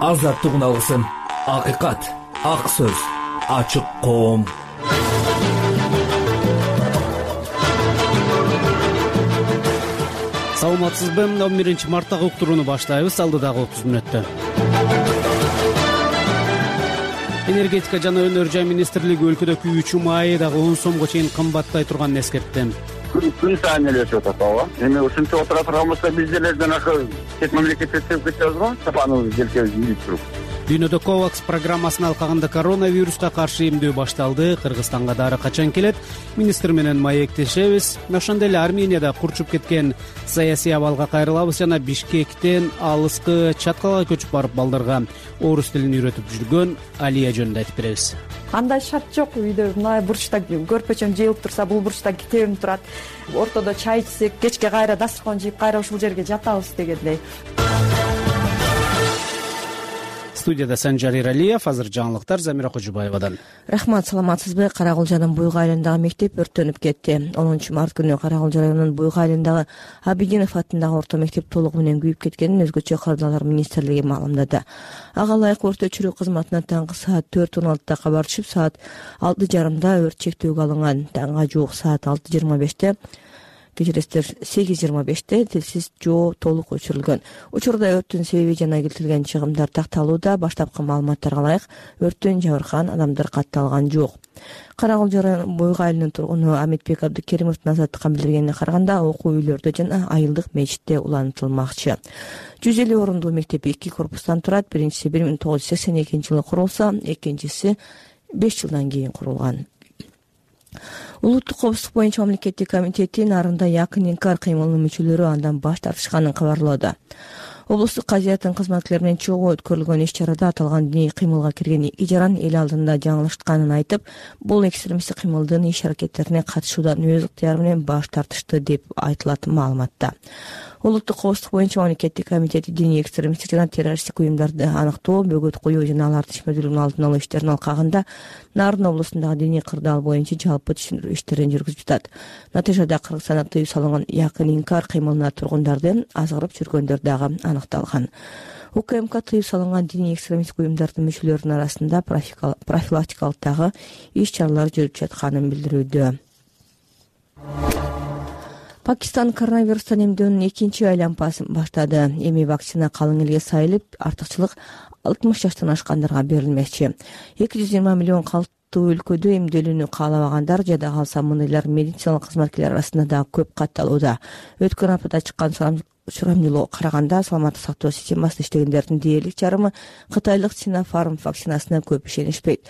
азаттык алгысым, акыйкат, ак сөз, ачык коом. Саламатсызбы? 11-марттагы уктурууну баштайбыз. Алдыдагы 30 мүнөттө. Энергетика жана өнөр жай министрлиги өлкөдө күйүүчү май дагы 10 сомго чейин кымбаттай турганын эскертти. Күн сайын эле өсүп атат ооба. Эми ушунча отура турган болсо биздер жанагы чет мамлекетте чыгып кетебиз го, сапаныбыз желкебиз ийип туруп. Дүйнөдө COVAX программасынын алкагында коронавируска каршы эмдөө башталды. Кыргызстанга дары качан келет? Министр менен маектешебиз. Ошондой эле Арменияда курчуп кеткен саясий абалга кайрылабыз жана Бишкектен алыскы Чаткалга көчүп барып балдарга орус тилин үйрөтүп жүргөн Алия жөнүндө айтып беребиз. Андай шарт жок. Үйдө мына бурчта көрпөчөм жыйылып турса, бул бурчта китебим турат. Ортодо чай ичсек, кечке кайра дасткан жыйып кайра ушул жерге жатабыз дегендей. Студияда Санжар Иралиев, азыр жаңылыктар Замира Кожубаевадан. Рахмат, саламатсызбы? Карагулжанын Буйга айылындагы мектеп өрттөнүп кетти. 10-март күнү Карагулжа районунун Буйга айылындагы Абидинов атындагы орто мектеп толугу менен күйүп кеткенин өзгөчө кырдаалар министрлиги маалымдады. Ага ылайык өрт өчүрүү кызматына таңкы саат 4:16 кабар түшүп, саат 6:30 өрт чектөөгө алынган. Таңга жуук саат 6:25 8:25 тилсиз жоо толук өчүрүлгөн. Учурда өрттүн себеби жана келтирилген чыгымдар такталууда. Баштапкы маалыматтарга ылайык өрттөн жабыркаган адамдар катталган жок. Карагулжа районунун Буйга айылынын тургуну Аметбек Абдыкеримовдун азаттыкка билдиргенине караганда, окуу үйлөрдө жана айылдык мечитте улантылмакчы. 150 орундуу мектеп 2 корпустан турат. Биринчиси 1982-жылы курулса, экинчиси 5 жылдан кийин курулган. Улуттук коопсуздук боюнча мамлекеттик комитети нарында якын инкар кыймылынын мүчөлөрү андан баш тартышканын кабарлоодо. Облустук казиятын кызматкерлери менен чогуу өткөрүлгөн иш-чарада аталган диний кыймылга кирген 2 жаран эл алдында жаңылышканын айтып, бул экстремисттик кыймылдын иш-аракеттерине катышуудан өз ыктыяры менен баш тартышты деп айтылат маалыматта. Улуттук коопсуздук боюнча мамлекеттик комитети диний экстремисттик жана террористтик уюмдарды аныктоо, бөгөт коюу жана алардын ишмердүүлүгүнүн алдын алуу иштеринин алкагында Нарын облусундагы диний кырдаал боюнча жалпы түшүндүрүү иштерин жүргүзүп жатат. Натыйжада Кыргызстанда тыюу салынган якын инкар кыймылына тургундардын азгырып жүргөндөр дагы аныкталган. УКМК тыюу салынган диний экстремисттик уюмдардын мүчөлөрүнүн арасында профилактикалык дагы иш-чаралар жүрүп жатканын билдирүүдө. Пакистан коронавирустан эмдөөнүн 2-чи айлампасын баштады. Эми вакцина калың элге сайылып, артыкчылык 60 жаштан ашкандарга берилмекчи. 220 миллион калктуу өлкөдө эмделүүнү каалабагандар жада калса мындайлар медициналык кызматкерлер арасында да көп катталууда. Өткөн аптада чыккан сурамжылоого караганда саламаттык сактоо системасында иштегендердин дээрлик жарымы кытайлык Sinopharm вакцинасына көп ишенишпейт.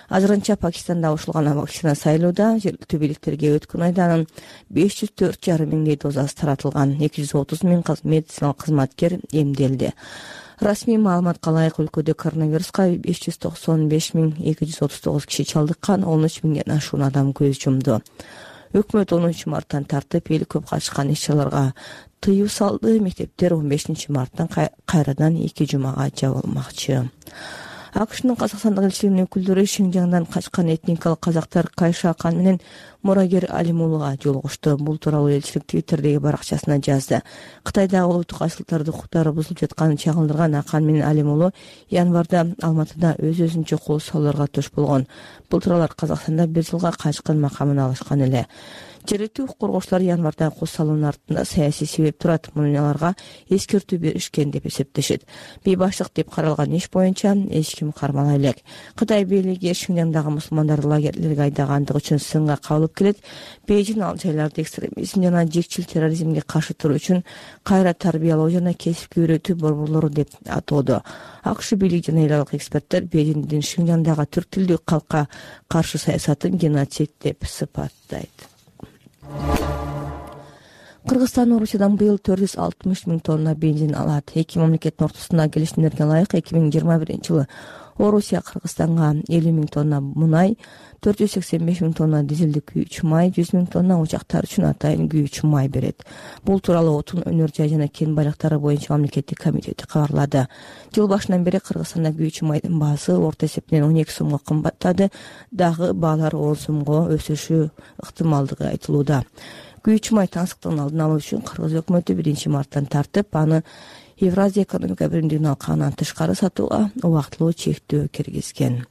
Азырынча Пакистанда ушулган вакцина сайылууда. Жергиликтүү бийликтерге өткөн айда анын 504,5 миңдей дозасы таратылган. 230 миң медициналык кызматкер эмделди. Расмий маалыматка ылайык өлкөдө коронавируска 595,239 киши чалдыккан, 13 миңден ашуун адам көз жумду. Өкмөт 10-марттан тартып эл көп катышкан иш-чараларга тыюу салды. Мектептер 15-марттан кайрадан 2 жумага жабылмакчы. АКШнын Казакстандагы элчилигинин өкүлдөрү Шинжаңдан качкан этникалык казактар Кайша Акан менен мурагер Алимулуга жолугушту. Бул тууралуу элчилик Твиттердеги баракчасына жазды. Кытайдагы улуттук айшылыктарды укуктары бузулуп жатканын чагылдырган Акан менен Алимулу январда Алматыда өз-өзүнчө кол салууларга туш болгон. Бул тууралуу Казакстанда 1 жылга качкын макамын алышкан эле. Жергиликтүү укук коргоочулар январда кол салуунун артында саясий себеп турат. Муну аларга эскертүү беришкен деп эсептешет. Бейбаштык деп каралган иш боюнча эч ким кармала элек. Кытай бийлиги Шинжаңдагы мусулмандарды лагерлерге айдагандыгы үчүн сынга кабылып келет. Бейжин ал жайларда экстремизм жана жекчил терроризмге каршы туруу үчүн кайра тарбиялоо жана кесипке үйрөтүү борборлору деп атоодо. АКШ бийлиги жана эл аралык эксперттер Бейжиндин Шинжаңдагы түрк тилдүү калкка каршы саясатын геноцид деп сыпаттайт. Кыргызстан Орусиядан быйыл 460 миң тонна бензин алат. Эки мамлекеттин ортосундагы келишимдерге ылайык 2021-жылы Орусия Кыргызстанга 50 миң тонна мунай, 485 миң тонна дизелдик күйүүчү май, 100 миң тонна учактар үчүн атайын күйүүчү май берет. Бул тууралуу Отун, өнөр жай жана кен байлыктары боюнча мамлекеттик комитети кабарлады. Жыл башынан бери Кыргызстанда күйүүчү майдын баасы орто эсептен 12 сомго кымбаттады, дагы баалар 10 сомго өсүшү ыктымалдыгы айтылууда. Күйүүчү май таңсыктыгын алдын алуу үчүн Кыргыз өкмөтү 1-марттан тартып аны Евразия экономика биримдигинин алкагынан тышкары сатууга убактылуу чектөө киргизген.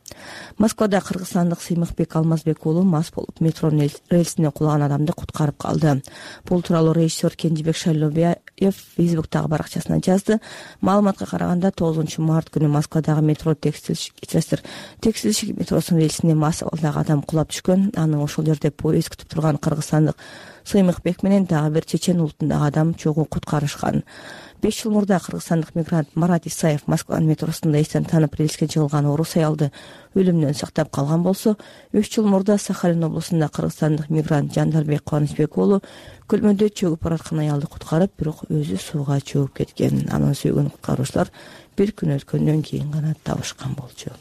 Москвада кыргызстандык Сыймыкбек Алмазбек уулу мас болуп метронун рельсине кулаган адамды куткарып калды. Бул тууралуу режиссер Кенжебек Шайлообаев Фейсбуктагы баракчасына жазды. Маалыматка караганда 9 март күнү Москвадагы метро текстилщик метросунун рельсине мас абалдагы адам кулап түшкөн. Аны ошол жерде поезд күтүп турган кыргызстандык Сыймыкбек менен дагы бир чечен улутундагы адам чогуу куткарышкан. 5 жыл мурда кыргызстандык мигрант Марат Исаев Москванын метросунда эстен танып рельске жыгылган орус аялды өлүмдөн сактап калган болсо, 3 жыл мурда Сахалин облусунда кыргызстандык мигрант Жандарбек Кубанычбек уулу көлмөдө чөгүп бараткан аялды куткарып, бирок өзү сууга чөгүп кеткен. Анын сүйгөн куткаруучулар бир күн өткөндөн кийин гана табышкан болчу.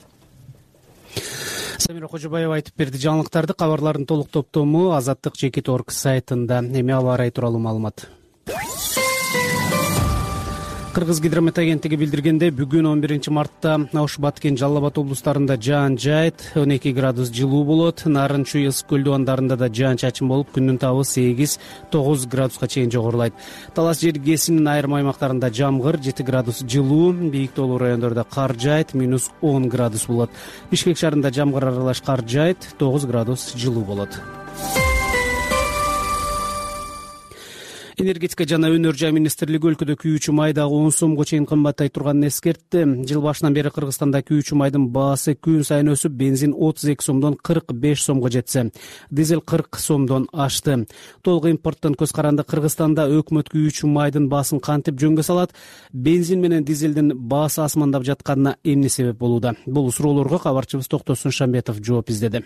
Самира Кожобаева айтып берди. Жаңылыктарды кабарлардын толук топтому Азаттык.org сайтында. Эми аба ырайы тууралуу маалымат. Кыргыз гидромет агенттиги билдиргендей, бүгүн 11 мартта Ош, Баткен, Жалал Абад облустарында жаан жайт, 12 градус жылуу болот. Нарын, Чүй, Ысык көл дубандарында да жаан чачын болуп, күндүн табы 8-9 градуска чейин жогорулайт. Талас жергесинин айрым аймактарында жамгыр, 7 градус жылуу, бийик тоолуу райондордо кар жайт, -10 градус болот. Бишкек шаарында жамгыр аралаш кар жайт, 9 градус жылуу болот. Энергетика жана өнөр жай министрлиги өлкөдө күйүүчү май дагы 10 сомго чейин кымбаттай турганын эскертти. Жыл башынан бери Кыргызстанда күйүүчү майдын баасы күн сайын өсүп, бензин 32 сомдон 45 сомго жетсе, дизель 40 сомдон ашты. Толук импорттон көз каранды Кыргызстанда өкмөт күйүүчү майдын баасын кантип жөнгө салат, бензин менен дизелдин баасы асмандап жатканына эмне себеп болууда? Бул суроолорго кабарчыбыз Токтосун Шамбетов жооп издеди.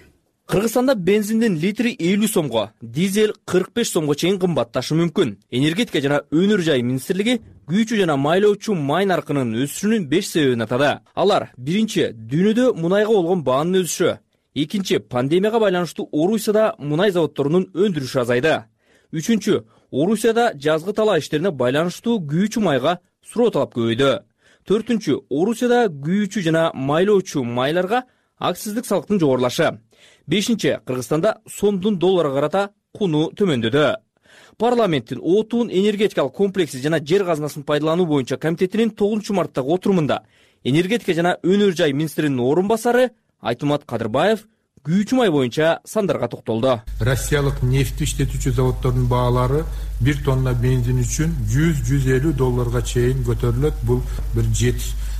Кыргызстанда бензиндин литри 50 сомго, дизель 45 сомго чейин кымбатташы мүмкүн. Энергетика жана өнөр жай министрлиги күйүүчү жана майлоочу май наркынын өсүшүнүн 5 себебин атады. Алар: биринчи, дүйнөдө мунайга болгон баанын өсүшү; экинчи, пандемияга байланыштуу Орусияда мунай заводдорунун өндүрүшү азайды; үчүнчү, Орусияда жазгы талаа иштерине байланыштуу күйүүчү майга суроо талап көбөйдү; төртүнчү, Орусияда күйүүчү жана майлоочу майларга акциздик салыктын жогорулашы; бешинчи, Кыргызстанда сомдун долларга карата куну төмөндөдү. Парламенттин отун энергетикалык комплекси жана жер казынасын пайдалануу боюнча комитетинин 9 марттагы отурумунда энергетика жана өнөр жай министринин орун басары Айтымат Кадырбаев күйүүчү май боюнча сандарга токтолду. Россиялык нефти иштетүүчү заводдордун баалары 1 тонна бензин үчүн 100-150 долларга чейин көтөрүлөт. Бул бир 7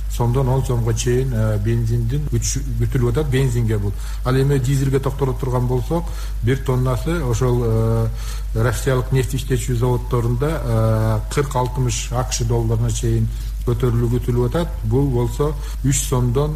сомдон 10 сомго чейин бензиндин күтүлүп атат бензинге бул. Ал эми дизелге токтоло турган болсок, 1 тоннасы ошол Россиялык нефти иштетүүчү заводдорунда 40-60 АКШ долларына чейин көтөрүлүү күтүлүп атат. Бул болсо 3 сомдон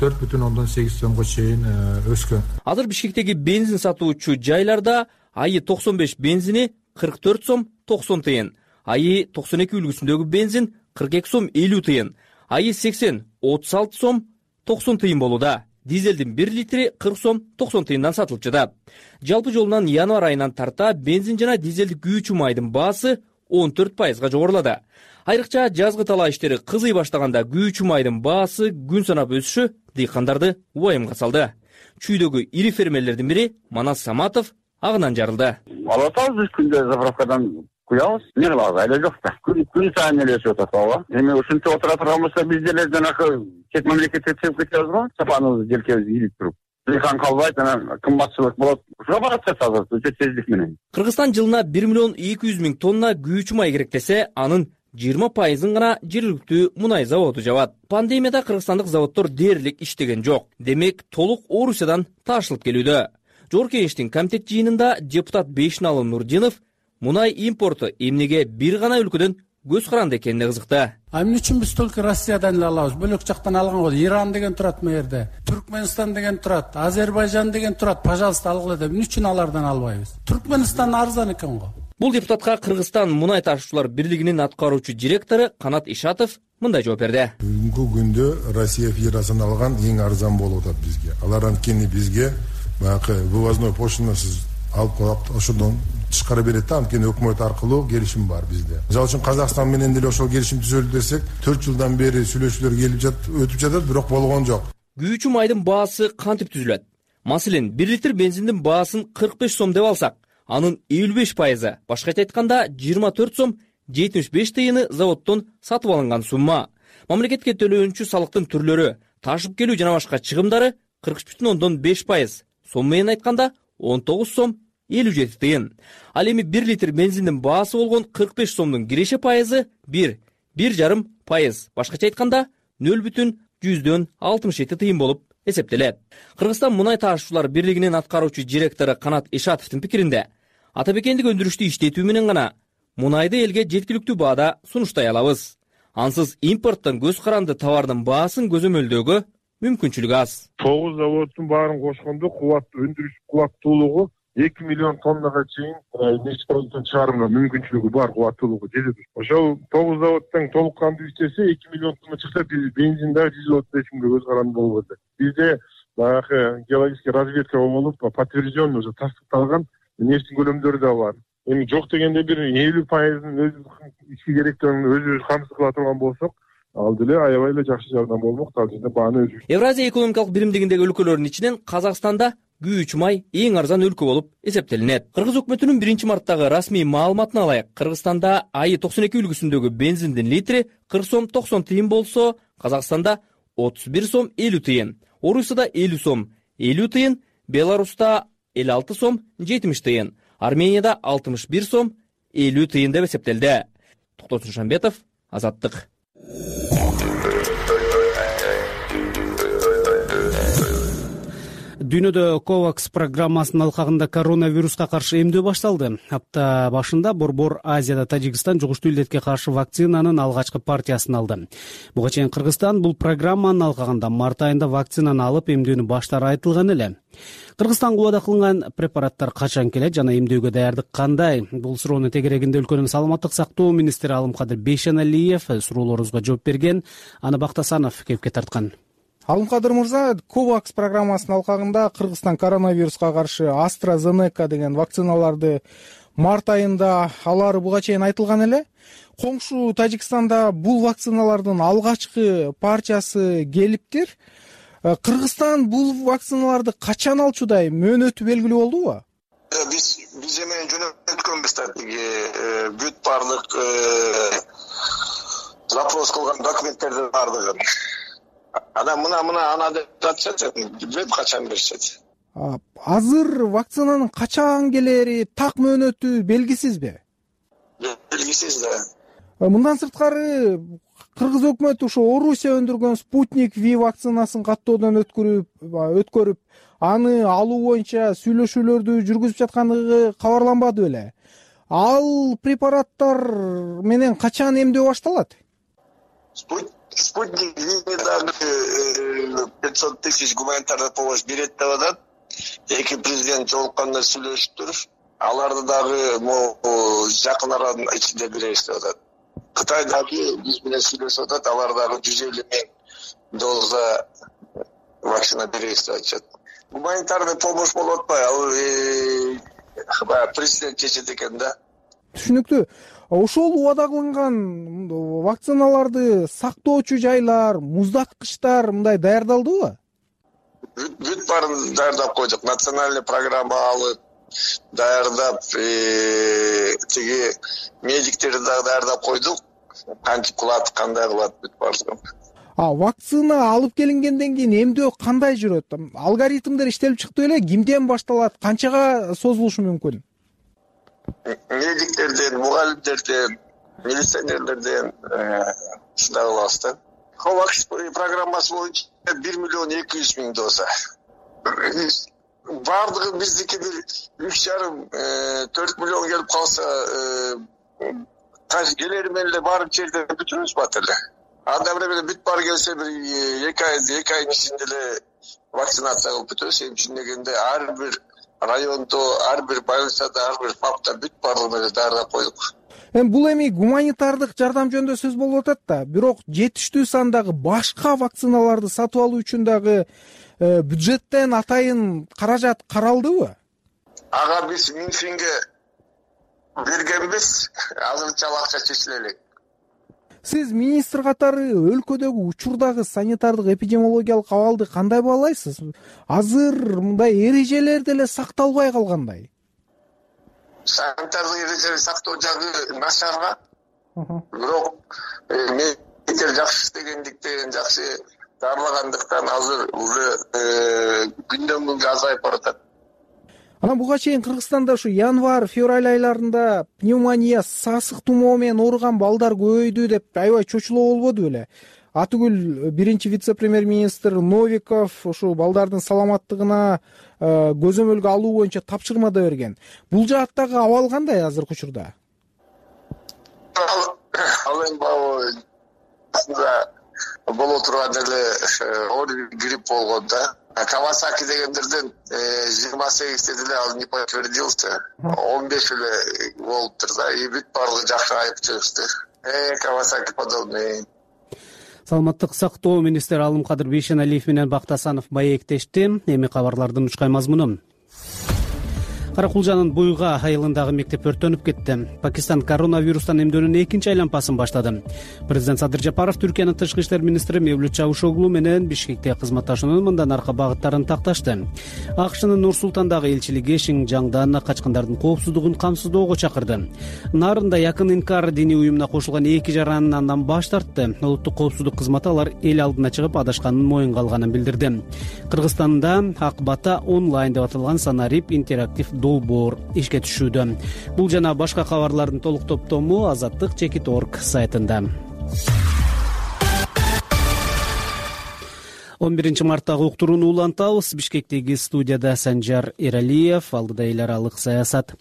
4,8 сомго чейин өскөн. Азыр Бишкектеги бензин сатуучу жайларда айы 95 бензини 44 сом 90 тыйын, айы 92 үлгүсүндөгү бензин 42 сом 50 тыйын, айы 80 36 сом 90 тыйын болууда. Дизелдин 1 литри 40 сом 90 тыйындан сатылып жатат. Жалпы жолунан январь айынан тарта бензин жана дизелдик күйүүчү майдын баасы 14% жогорулады. Айрыкча жазгы талаа иштери кызый баштаганда күйүүчү майдын баасы күн санап өсүшү дыйкандарды убайымга салды. Чүйдөгү ири фермерлердин бири Манас Саматов агынан жарылды. Алып атабыз күндө заправкадан куябыз. Эмне кылабыз, айла жок да. Күн сайын эле өсүп атат ооба. Эми ушинтип отура турган болсо биз деле жанакы чет мамлекетке чыгып кетебиз го. Сапаныбыз желкебиз ийилип туруп. Дыйкан калбайт, анан кымбатчылык болот. Ушуга барат азыр өтө тездик менен. Кыргызстан жылына 1 миллион 200 миң тонна күйүүчү май керек десе, анын 20% гана жергиликтүү мунай заводу жабат. Пандемияда кыргызстандык заводдор дээрлик иштеген жок. Демек, толук Орусиядан таашылып келүүдө. Жогорку Кеңештин комитет жыйынында депутат Бейшиналы Нурдинов мунай импорту эмнеге бир гана өлкөдөн көз каранды экенине кызыкты. Эмне үчүн биз только Россиядан эле алабыз? Бөлөк жактан алган го. Иран деген турат мына жерде, Түркмөнстан деген турат, Азербайжан деген турат. Пожалуйста, алгыла деп. Эмне үчүн алардан албайбыз? Түркмөнстан арзан экен го. Бул депутатка Кыргызстан мунай ташуучулар бирлигинин аткаруучу директору Канат Ишатов мындай жооп берди. Бүгүнкү күндө Россия Федерациясынан алган эң арзан болуп атат бизге. Алар анткени бизге баягы вывозной пошлинасыз алып коюп, ошондон тышкары берет да, анткени өкмөт аркылуу келишим бар бизде. Мисалы үчүн Казакстан менен деле ошол келишим түзөлдү десек, 4 жылдан бери сүйлөшүүлөр өтүп жатат, бирок болгон жок. Күйүүчү майдын баасы кантип түзүлөт? Маселен, 1 литр бензиндин баасын 45 сом деп алсак, анын 55%, башкача айтканда 24 сом 75 тыйыны заводдон сатып алынган сумма. Мамлекетке төлөөнчү салыктын түрлөрү: ташып келүү жана башка чыгымдары 43,5%, сом менен айтканда 19 сом 57 тыйын. Ал эми 1 литр бензиндин баасы болгон 45 сомдун киреше пайызы 1,5%, башкача айтканда 0,67 тыйын болуп эсептелет. Кыргызстан мунай таашуучулар бирлигинин аткаруучу директору Канат Ишатовдун пикиринде, атабекендик өндүрүштү иштетүү менен гана мунайды элге жеткиликтүү баада сунуштай алабыз. Ансыз импорттон көз каранды товардын баасын көзөмөлдөөгө мүмкүнчүлүк аз. 9 заводдун баарын кошкондо өндүрүш кубаттуулугу 2 миллион тоннага чейин нефть чыгарууга мүмкүнчүлүгү бар, кубаттуулугу жетет. Ошол 9 заводдон толук кандуу иштесе 2 миллион тонна чыкса, бензин дагы 135 миңге көз каранды болуп атат. Бизде баягы геологический разведка болуп, подтвержденный уже тастыкталган нефтин көлөмдөрү да бар. Эми жок дегенде бир 50%-ын ички керектөөрүн өзүбүз камсыз кыла турган болсок, ал деле аябай эле жакшы жардам болмок. Ал жерде бааны өзүбүз. Евразия экономикалык биримдигиндеги өлкөлөрдүн ичинен Казакстанда күйүүчү май эң арзан өлкө болуп эсептелинет. Кыргыз өкмөтүнүн 1-марттагы расмий маалыматына алайык, Кыргызстанда АИ 92 үлгүсүндөгү бензиндин литри 40 сом 90 тыйын болсо, Казакстанда 31 сом 50 тыйын, Орусияда 50 сом 50 тыйын, Беларуста 56 сом 70 тыйын, Арменияда 61 сом 50 тыйын деп эсептелди. Токтосун Шамбетов, Азаттык. Дүйнөдө COVAX программасынын алкагында коронавируска каршы эмдөө башталды. Апта башында Борбор Азияда Тажикстан жугуштуу илдетке каршы вакцинанын алгачкы партиясын алды. Буга чейин Кыргызстан бул программанын алкагында март айында вакцинаны алып эмдөөнү баштаары айтылган эле. Кыргызстанга убада кылынган препараттар качан келет жана эмдөөгө даярдык кандай? Бул суроонун тегерегинде өлкөнүн саламаттык сактоо министри Алымкадыр Бейшеналиев суроолорубузга жооп берген. Аны Бактасанов кепке тарткан. Алымкадыр мырза, COVAX программасынын алкагында Кыргызстан коронавируска каршы AstraZeneca деген вакциналарды март айында алары буга чейин айтылган эле. Коңшу Тажикстанда бул вакциналардын алгачкы партиясы келиптир. Кыргызстан бул вакциналарды качан алчудай, мөөнөтү белгилүү болдубу? Биз эми жөнөткөнбүз тиги бүт бардык запрос кылган документтердин бардыгын. Ана деп жатышат, билбейм качан беришет. Азыр вакцинанын качан келери, так мөөнөтү белгисизби? Белгисиз да. Мындан сырткары Кыргыз өкмөтү ошо Орусия өндүргөн Спутник V вакцинасын каттоодон өткөрүп, аны алуу боюнча сүйлөшүүлөрдү жүргүзүп жаткандыгы кабарланбады беле? Ал препараттар менен качан эмдөө башталат? Спутник V дагы 500 тысяч гуманитарный помощь берет деп атат. Эки президент жолукканда сүйлөшүптүр. Аларды дагы жакын аранын ичинде беребиз деп атат. Кытай дагы биз менен сүйлөшүп атат, алар дагы 150 миң доза вакцина беребиз деп атышат. Гуманитарный помощь болуп атпайбы? Ал президент чечет экен да. Түшүнүктүү. Ошол убада кылынган вакциналарды сактоочу жайлар, муздаткычтар мындай даярдалдыбы? Бүт баарын даярдап койдук. Национальный программа алып даярдап, тиги медиктерди дагы даярдап койдук. Кантип кылат, кандай кылат бүт баардыгын. Вакцина алып келингенден кийин эмдөө кандай жүрөт? Алгоритмдер иштелип чыкты беле? Кимден башталат? Канчага созулушу мүмкүн? Медиктерден, мугалимдерден, милиционерлерден ушундай кылабыз да. COVAX программасы боюнча 1 миллион 200 миң доза. Бардыгы биздики бир 3,5-4 миллион келип калса, келери менен эле барып жерде бүтүрүбүз бат эле. Анда менен бүт баары келсе бир 2 айдын ичинде эле вакцинация кылып бүтөбүз. Эми түшүндөгөндө ар бир райондо, ар бир больницада, ар бир ФАПта бүт баардыгын эле даярдап койдук. Бул эми гуманитардык жардам жөнүндө сөз болуп атат да, бирок жетиштүү сандагы башка вакциналарды сатып алуу үчүн дагы бюджеттен атайын каражат каралдыбы? Ага биз Минфинге бергенбиз, азырынча акча чечиле элек. Сиз министр катары өлкөдөгү учурдагы санитардык эпидемиологиялык абалды кандай баалайсыз? Азыр мындай эрежелер деле сакталбай калгандай. Санитардык эрежелерди сактоо жагы начарга. Бирок мен жакшы иштегендиктен, жакшы дарылагандыктан азыр уже күндөн күнгө азайып баратат. Анан буга чейин Кыргызстанда ушу январь, февраль айларында пневмония, сасык тумоо менен ооруган балдар көбөйдү деп аябай чочулоо болбоду беле? Атүгүл биринчи вице-премьер-министр Новиков ушу балдардын саламаттыгына көзөмөлгө алуу боюнча тапшырма да берген. Бул жааттагы абал кандай азыркы учурда? Ал эми боло турган эле грипп болгон да. Кавасаки дегендерден 28-те деле ал не подтвердился. 15 эле болуптур да. И бүт барлыгы жакшы айып чыгышты. Кавасаки подобный. Саламаттык сактоо министри Алымкадыр Бейшеналиев менен Бактасанов маектешти. Эми кабарлардын учкай мазмуну. Каракулжанын Буйга айылындагы мектеп өрттөнүп кетти. Пакистан коронавирустан эмдөөнүн экинчи айланпасын баштады. Президент Садыр Жапаров Түркиянын тышкы иштер министри Мевлют Чавушоглу менен Бишкекте кызматташуунун мындан аркы багыттарын такташты. АКШнын Нур Султандагы элчилиги Шинжаңдан качкындардын коопсуздугун камсыздоого чакырды. Нарында Якын Инкар диний уюмуна кошулган 2 жаранын андан баш тартты. Улуттук коопсуздук кызматы алар эл алдына чыгып адашканын моюнга алганын билдирди. Кыргызстанда Акбата онлайн деп аталган санарип интерактив долбоор ишке түшүүдө. Бул жана башка кабарлардын толук топтому Азаттык.org сайтында. 11 марттагы уктурууну улантабыз. Бишкектеги студияда Санжар Эралиев, алдыда эл аралык саясат.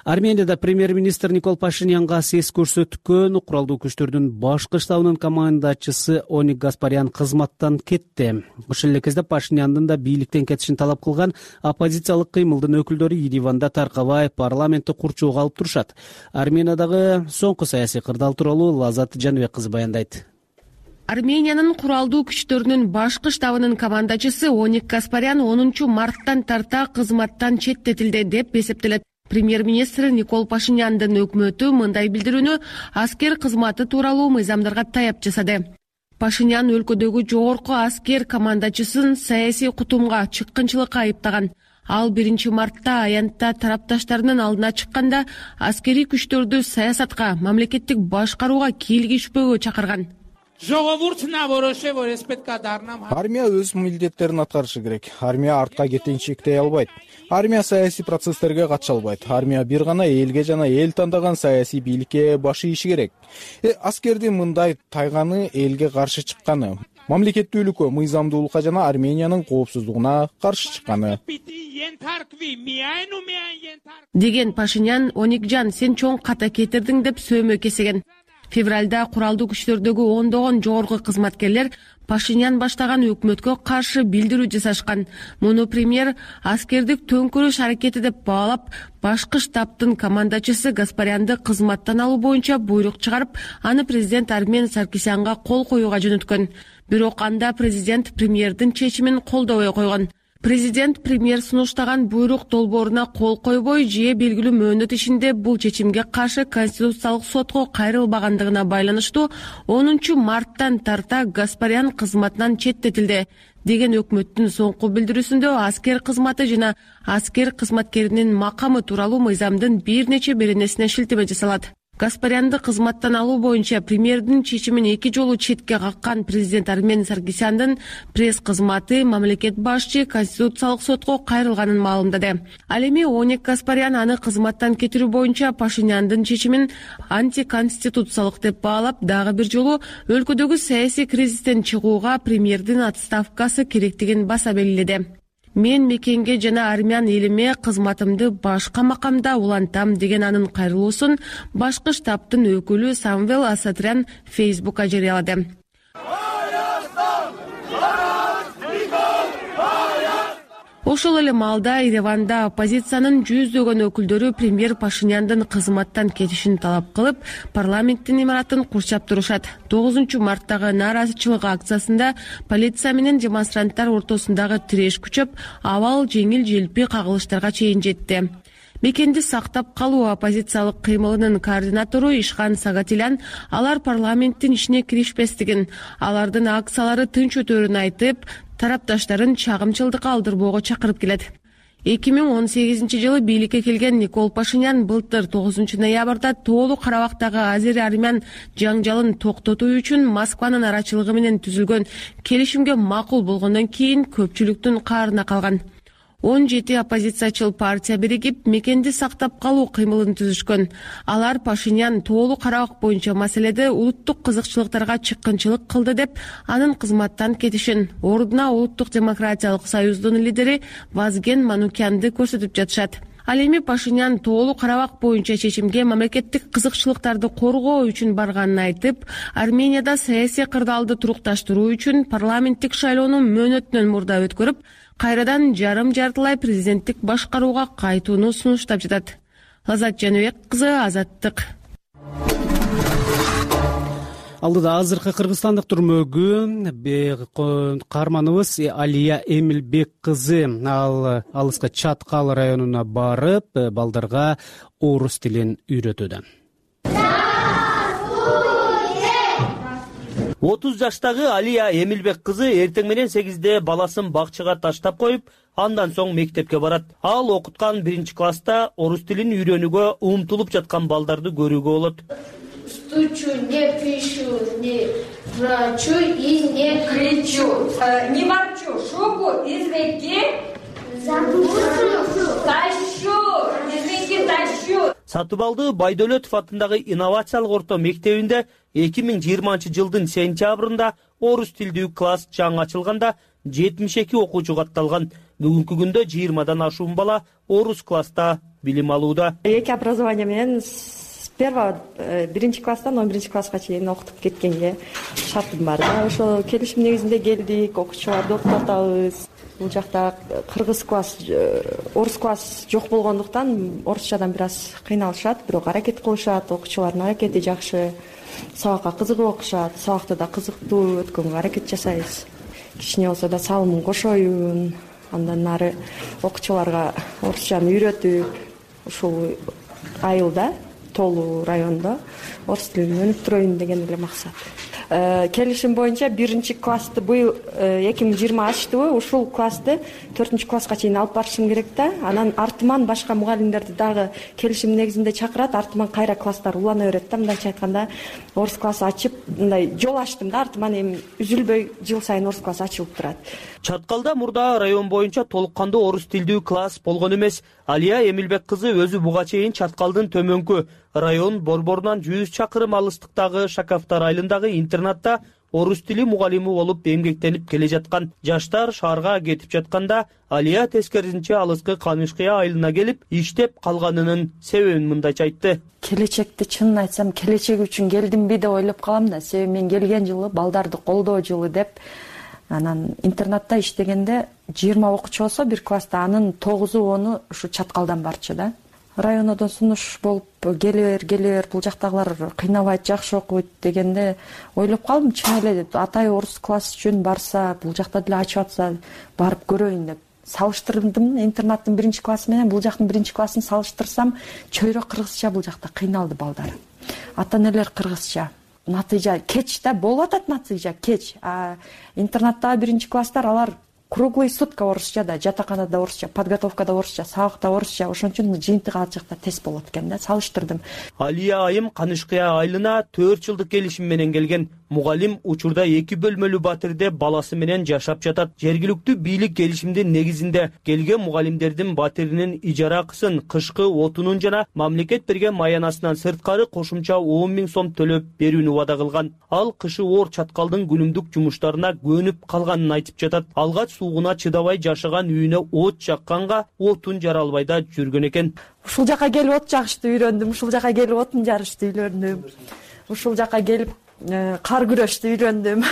Арменияда премьер-министр Никол Пашинянга сес көрсөткөн куралдуу күчтөрдүн башкы штабынын командачысы Оник Гаспарян кызматтан кетти. Ошол эле кезде Пашиняндын да бийликтен кетишин талап кылган оппозициялык кыймылдын өкүлдөрү Ереванда таркабай парламентти курчоого алып турушат. Армениядагы соңку саясий кырдаал тууралуу Лазат Жаныбек кызы баяндайт. Армениянын куралдуу күчтөрүнүн башкы штабынын командачысы Оник Гаспарян 10 марттан тарта кызматтан четтетилди деп эсептелет. Премьер-министр Никол Пашиняндын өкмөтү мындай билдирүүнү аскер кызматы тууралуу мыйзамдарга таяп жасады. Пашинян өлкөдөгү жогорку аскер командачысын саясий кутумга, чыккынчылыкка айыптаган. Ал 1 мартта аянтта тарапташтарынын алдына чыкканда аскерий күчтөрдү саясатка, мамлекеттик башкарууга кийлигишпөөгө чакырган. Армия өз милдеттерин аткарышы керек. Армия артка кетенчиктей албайт. Армия саясий процесстерге катыша албайт. Армия бир гана элге жана эл тандаган саясий бийликке баш ийиши керек. Аскердин мындай тайганы элге каршы чыкканы, мамлекеттүүлүккө, мыйзамдуулукка жана Армениянын коопсуздугуна каршы чыкканы. Деген Пашинян, Оникжан, сен чоң ката кетирдиң деп сөөмө кесеген. Февралда куралдуу күчтөрдөгү ондогон жогорку кызматкерлер Пашинян баштаган өкмөткө каршы билдирүү жасашкан. Муну премьер аскердик төңкөрүш аракети деп баалап, башкы штабтын командачысы Гаспарянды кызматтан алуу боюнча буйрук чыгарып, аны президент Армен Саркисянга кол коюуга жөнөткөн. Бирок анда президент премьердин чечимин колдобой койгон. Президент премьер сунуштаган буйрук долбооруна кол койбой, же белгилүү мөөнөт ичинде бул чечимге каршы Конституциялык сотко кайрылбагандыгына байланыштуу 10 марттан тарта Гаспарян кызматынан четтетилди деген өкмөттүн соңку билдирүүсүндө аскер кызматы жана аскер кызматкеринин макамы тууралуу мыйзамдын бир нече беренесине шилтеме жасалат. Гаспарянды кызматтан алуу боюнча премьердин чечимин 2 жолу четке каккан президент Армен Саркисяндын пресс кызматы мамлекет башчы Конституциялык сотко кайрылганын маалымдады. Ал эми Оник Гаспарян аны кызматтан кетирүү боюнча Пашиняндын чечимин антиконституциялык деп баалап, дагы бир жолу өлкөдөгү саясий кризистен чыгууга премьердин отставкасы керектигин баса белгиледи. Мен мекенге жана армян элиме кызматымды башка макамда улантам деген анын кайрылуусун башкы штабтын өкүлү Самвел Асатрян Фейсбукка жарыялады. Ошол эле маалда Ереванда оппозициянын жүздөгөн өкүлдөрү премьер Пашиняндын кызматтан кетишин талап кылып, парламенттин имаратын курчап турушат. 9 марттагы нааразычылык акциясында полиция менен демонстранттар ортосундагы тиреш күчөп, абал жеңил желпи кагылыштарга чейин жетти. Мекенди сактап калуу оппозициялык кыймылынын координатору Ишхан Сагатилян алар парламенттин ишине киришпестигин, алардын акциялары тынч өтөрүн айтып, тарапташтарын чагымчылдыкка алдырбоого чакырып келет. 2018-жылы бийликке келген Никол Пашинян былтыр 9 ноябрда Тоолуу Карабактагы азери-армян жаңжалын токтотуу үчүн Москванын арачылыгы менен түзүлгөн келишимге макул болгондон кийин көпчүлүктүн каарына калган. 17 оппозициячыл партия биригип мекенди сактап калуу кыймылын түзүшкөн. Алар Пашинян Тоолуу Карабак боюнча маселеде улуттук кызыкчылыктарга чыккынчылык кылды деп анын кызматтан кетишин, ордуна Улуттук демократиялык союздун лидери Вазген Манукянды көрсөтүп жатышат. Ал эми Пашинян Тоолуу Карабак боюнча чечимге мамлекеттик кызыкчылыктарды коргоо үчүн барганын айтып, Арменияда саясий кырдаалды турукташтыруу үчүн парламенттик шайлоону мөөнөтүнөн мурда өткөрүп, кайрадан жарым-жартылай президенттик башкарууга кайтууну сунуштап жатат. Азат Жаныбек кызы, Азаттык. Алдыда азыркы кыргызстандык түрмөгү каарманыбыз Алия Эмилбек кызы ал алыска Чаткал районуна барып, балдарга орус тилин үйрөтүүдө. 30 жаштагы Алия Эмилбек кызы эртең менен 8-де баласын бакчага таштап коюп, андан соң мектепке барат. Ал окуткан 1-класста орус тилин үйрөнүүгө умтулуп жаткан балдарды көрүүгө болот. Стучу, не пишу, не плачу и не кричу. Не ворчу, шубу из реки тащу, из реки тащу. Сатыбалды Байдөлөтов атындагы инновациялык орто мектебинде 2020-жылдын сентябрында орус тилдүү класс жаңы ачылганда 72 окуучу катталган. Бүгүнкү күндө 20-дан ашуун бала орус класста билим алууда. Эки образование менен с первого 1-класстан 11-класска чейин окутуп кеткенге шартым бар. Ошо келишим негизинде келдик, окуучуларды окутуп атабыз. Бул жакта кыргыз класс, орус класс жок болгондуктан орусчадан бир аз кыйналышат, бирок аракет кылышат, окуучулардын аракети жакшы. Сабакка кызыгып окушат, сабакты да кызыктуу өткөнгө аракет жасайбыз. Кичине болсо да салымын кошоюн, андан ары окуучуларга орусчаны үйрөтүп, ушул айылда, Тоолуу районунда орус тилин өнүктүрөйүн деген эле максат. Келишим боюнча 1-классты быйыл 2020 ачтыбы, ушул классты 4-класска чейин алып барышым керек да. Анан артыман башка мугалимдерди дагы келишим негизинде чакырат, артыман кайра класстар улана берет да. Мындайча айтканда, орус классы ачып, мындай жол ачтым да, артыман эми үзүлбөй жыл сайын орус класс ачылып турат. Чаткалда мурда район боюнча толук кандуу орус тилдүү класс болгон эмес. Алия Эмилбек кызы өзү буга чейин Чаткалдын төмөнкү район борборунан 100 чакырым алыстыктагы Шакафтар айылындагы интернатта орус тили мугалими болуп эмгектенип келе жаткан. Жаштар шаарга кетип жатканда Алия тескерисинче алыскы Канышкыя айылына келип иштеп калганынын себебин мындайча айтты. Келечекти чынын айтсам, келечек үчүн келдимби деп ойлоп калам да. Себеби мен келген жылы балдарды колдоо жылы деп, анан интернатта иштегенде 20 окуучу болсо бир класста, анын 9-10 ушу Чаткалдан барчу да. Районодон сунуш болуп келе бер, бул жактагылар кыйнабайт, жакшы окуйт дегенде ойлоп калдым, чын эле атай орус класс үчүн барса, бул жакта деле ачып атса, барып көрөйүн деп. Салыштырдым интернаттын 1-классы менен бул жактын 1-классын салыштырсам, чөйрө кыргызча бул жакта кыйналды балдар. Ата-энелер кыргызча. Натыйжа кеч да болуп атат, натыйжа кеч. Интернаттагы 1-класстар алар круглый сутка орусча да, жатаканада орусча, подготовкада орусча, сабакта орусча, ошон үчүн жыйынтыгы ал жакта тез болот экен да, салыштырдым. Алия айым Канышкыя айылына 4 жылдык келишим менен келген. Мугалим учурда 2 бөлмөлүү батирде баласы менен жашап жатат. Жергиликтүү бийлик келишимдин негизинде келген мугалимдердин батиринин ижара акысын, кышкы отунун жана мамлекет берген маянасынан сырткары кошумча 10 000 сом төлөп берүүнү убада кылган. Ал кышы оор Чаткалдын күнүмдүк жумуштарына көнүп калганын айтып жатат. Алгач суугуна чыдабай жашаган үйүнө от жакканга отун жара албай да жүргөн экен. Ушул жака келип от жагышты үйрөндүм, ушул жака келип отун жарышты үйлөрүндүм. Ушул жака келип кар күрөштү үйлөндүм.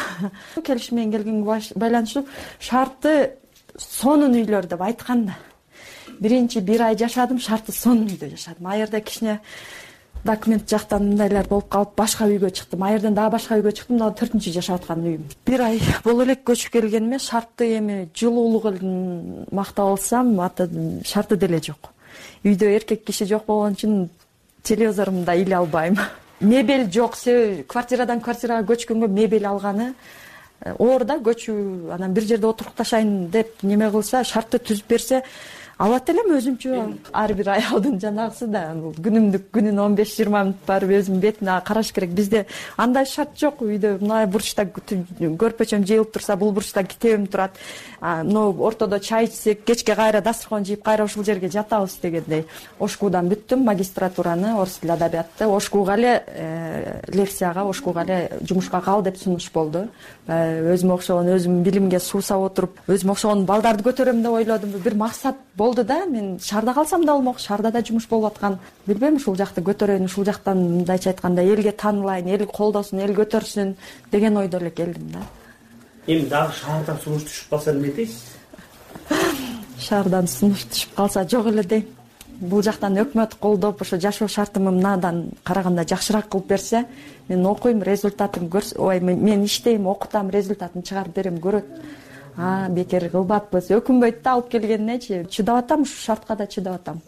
Келишим менен келгенге байланыштуу шарты сонун үйлөр деп айтканда. Биринчи 1 ай жашадым, шарты сонун үйдө жашадым. Айырда кичине документ жактан мындайлар болуп калып башка үйгө чыктым. Айырдан дагы башка үйгө чыктым, мына 4-чү жашап аткан үйүм. 1 ай боло элек көчүп келгениме шарты эми жылуулугун мактап алсам, шарты деле жок. Үйдө эркек киши жок болгон үчүн телевизорумду иле албайм. Мебель жок, себеби квартирадан квартирага көчкөнгө мебель алганы оор да, көчүү, анан бир жерде отурукташайын деп неме кылса, шартты түзүп берсе, алат элем өзүмчө. Ар бир аялдын жанагысы да күнүнө 15-20 мүнөт барып өзүнүн бетине караш керек. Бизде андай шарт жок. Үйдө мына бурчта көрпөчөм жыйылып турса, бул бурчта китебим турат. Мына ортодо чай ичсек, кечке кайра дасторкон жыйып кайра ушул жерге жатабыз дегендей. Ошкуудан бүттүм магистратураны, орус тили адабиятты. Ошкууга эле лекцияга, ошкууга эле жумушка кал деп сунуш болду. Өзүмө окшогон, өзүм билимге суусап отуруп, өзүмө окшогон балдарды көтөрөм деп ойлодум. Бир максат болду да. Мен шаарда калсам да болмок, шаарда да жумуш болуп аткан. Билбейм, ушул жакты көтөрөйүн, ушул жактан мындайча айтканда элге таанылайын, эл колдосун, эл көтөрсүн деген ойдо эле келдим да. Эми дагы шаардан сунуш түшүп калса эмне дейсиз? Шаардан сунуш түшүп калса жок эле дейм. Бул жактан өкмөт колдоп, ошо жашоо шартымды мындан караганда жакшыраак кылып берсе, мен окуйм, результатын ой, мен иштейм, окутам, результатын чыгарып берем, көрөт. Бекер кылбаппыз, өкүнбөйт да алып келгенинечи. Чыдап атам, ушу шартка да чыдап атам.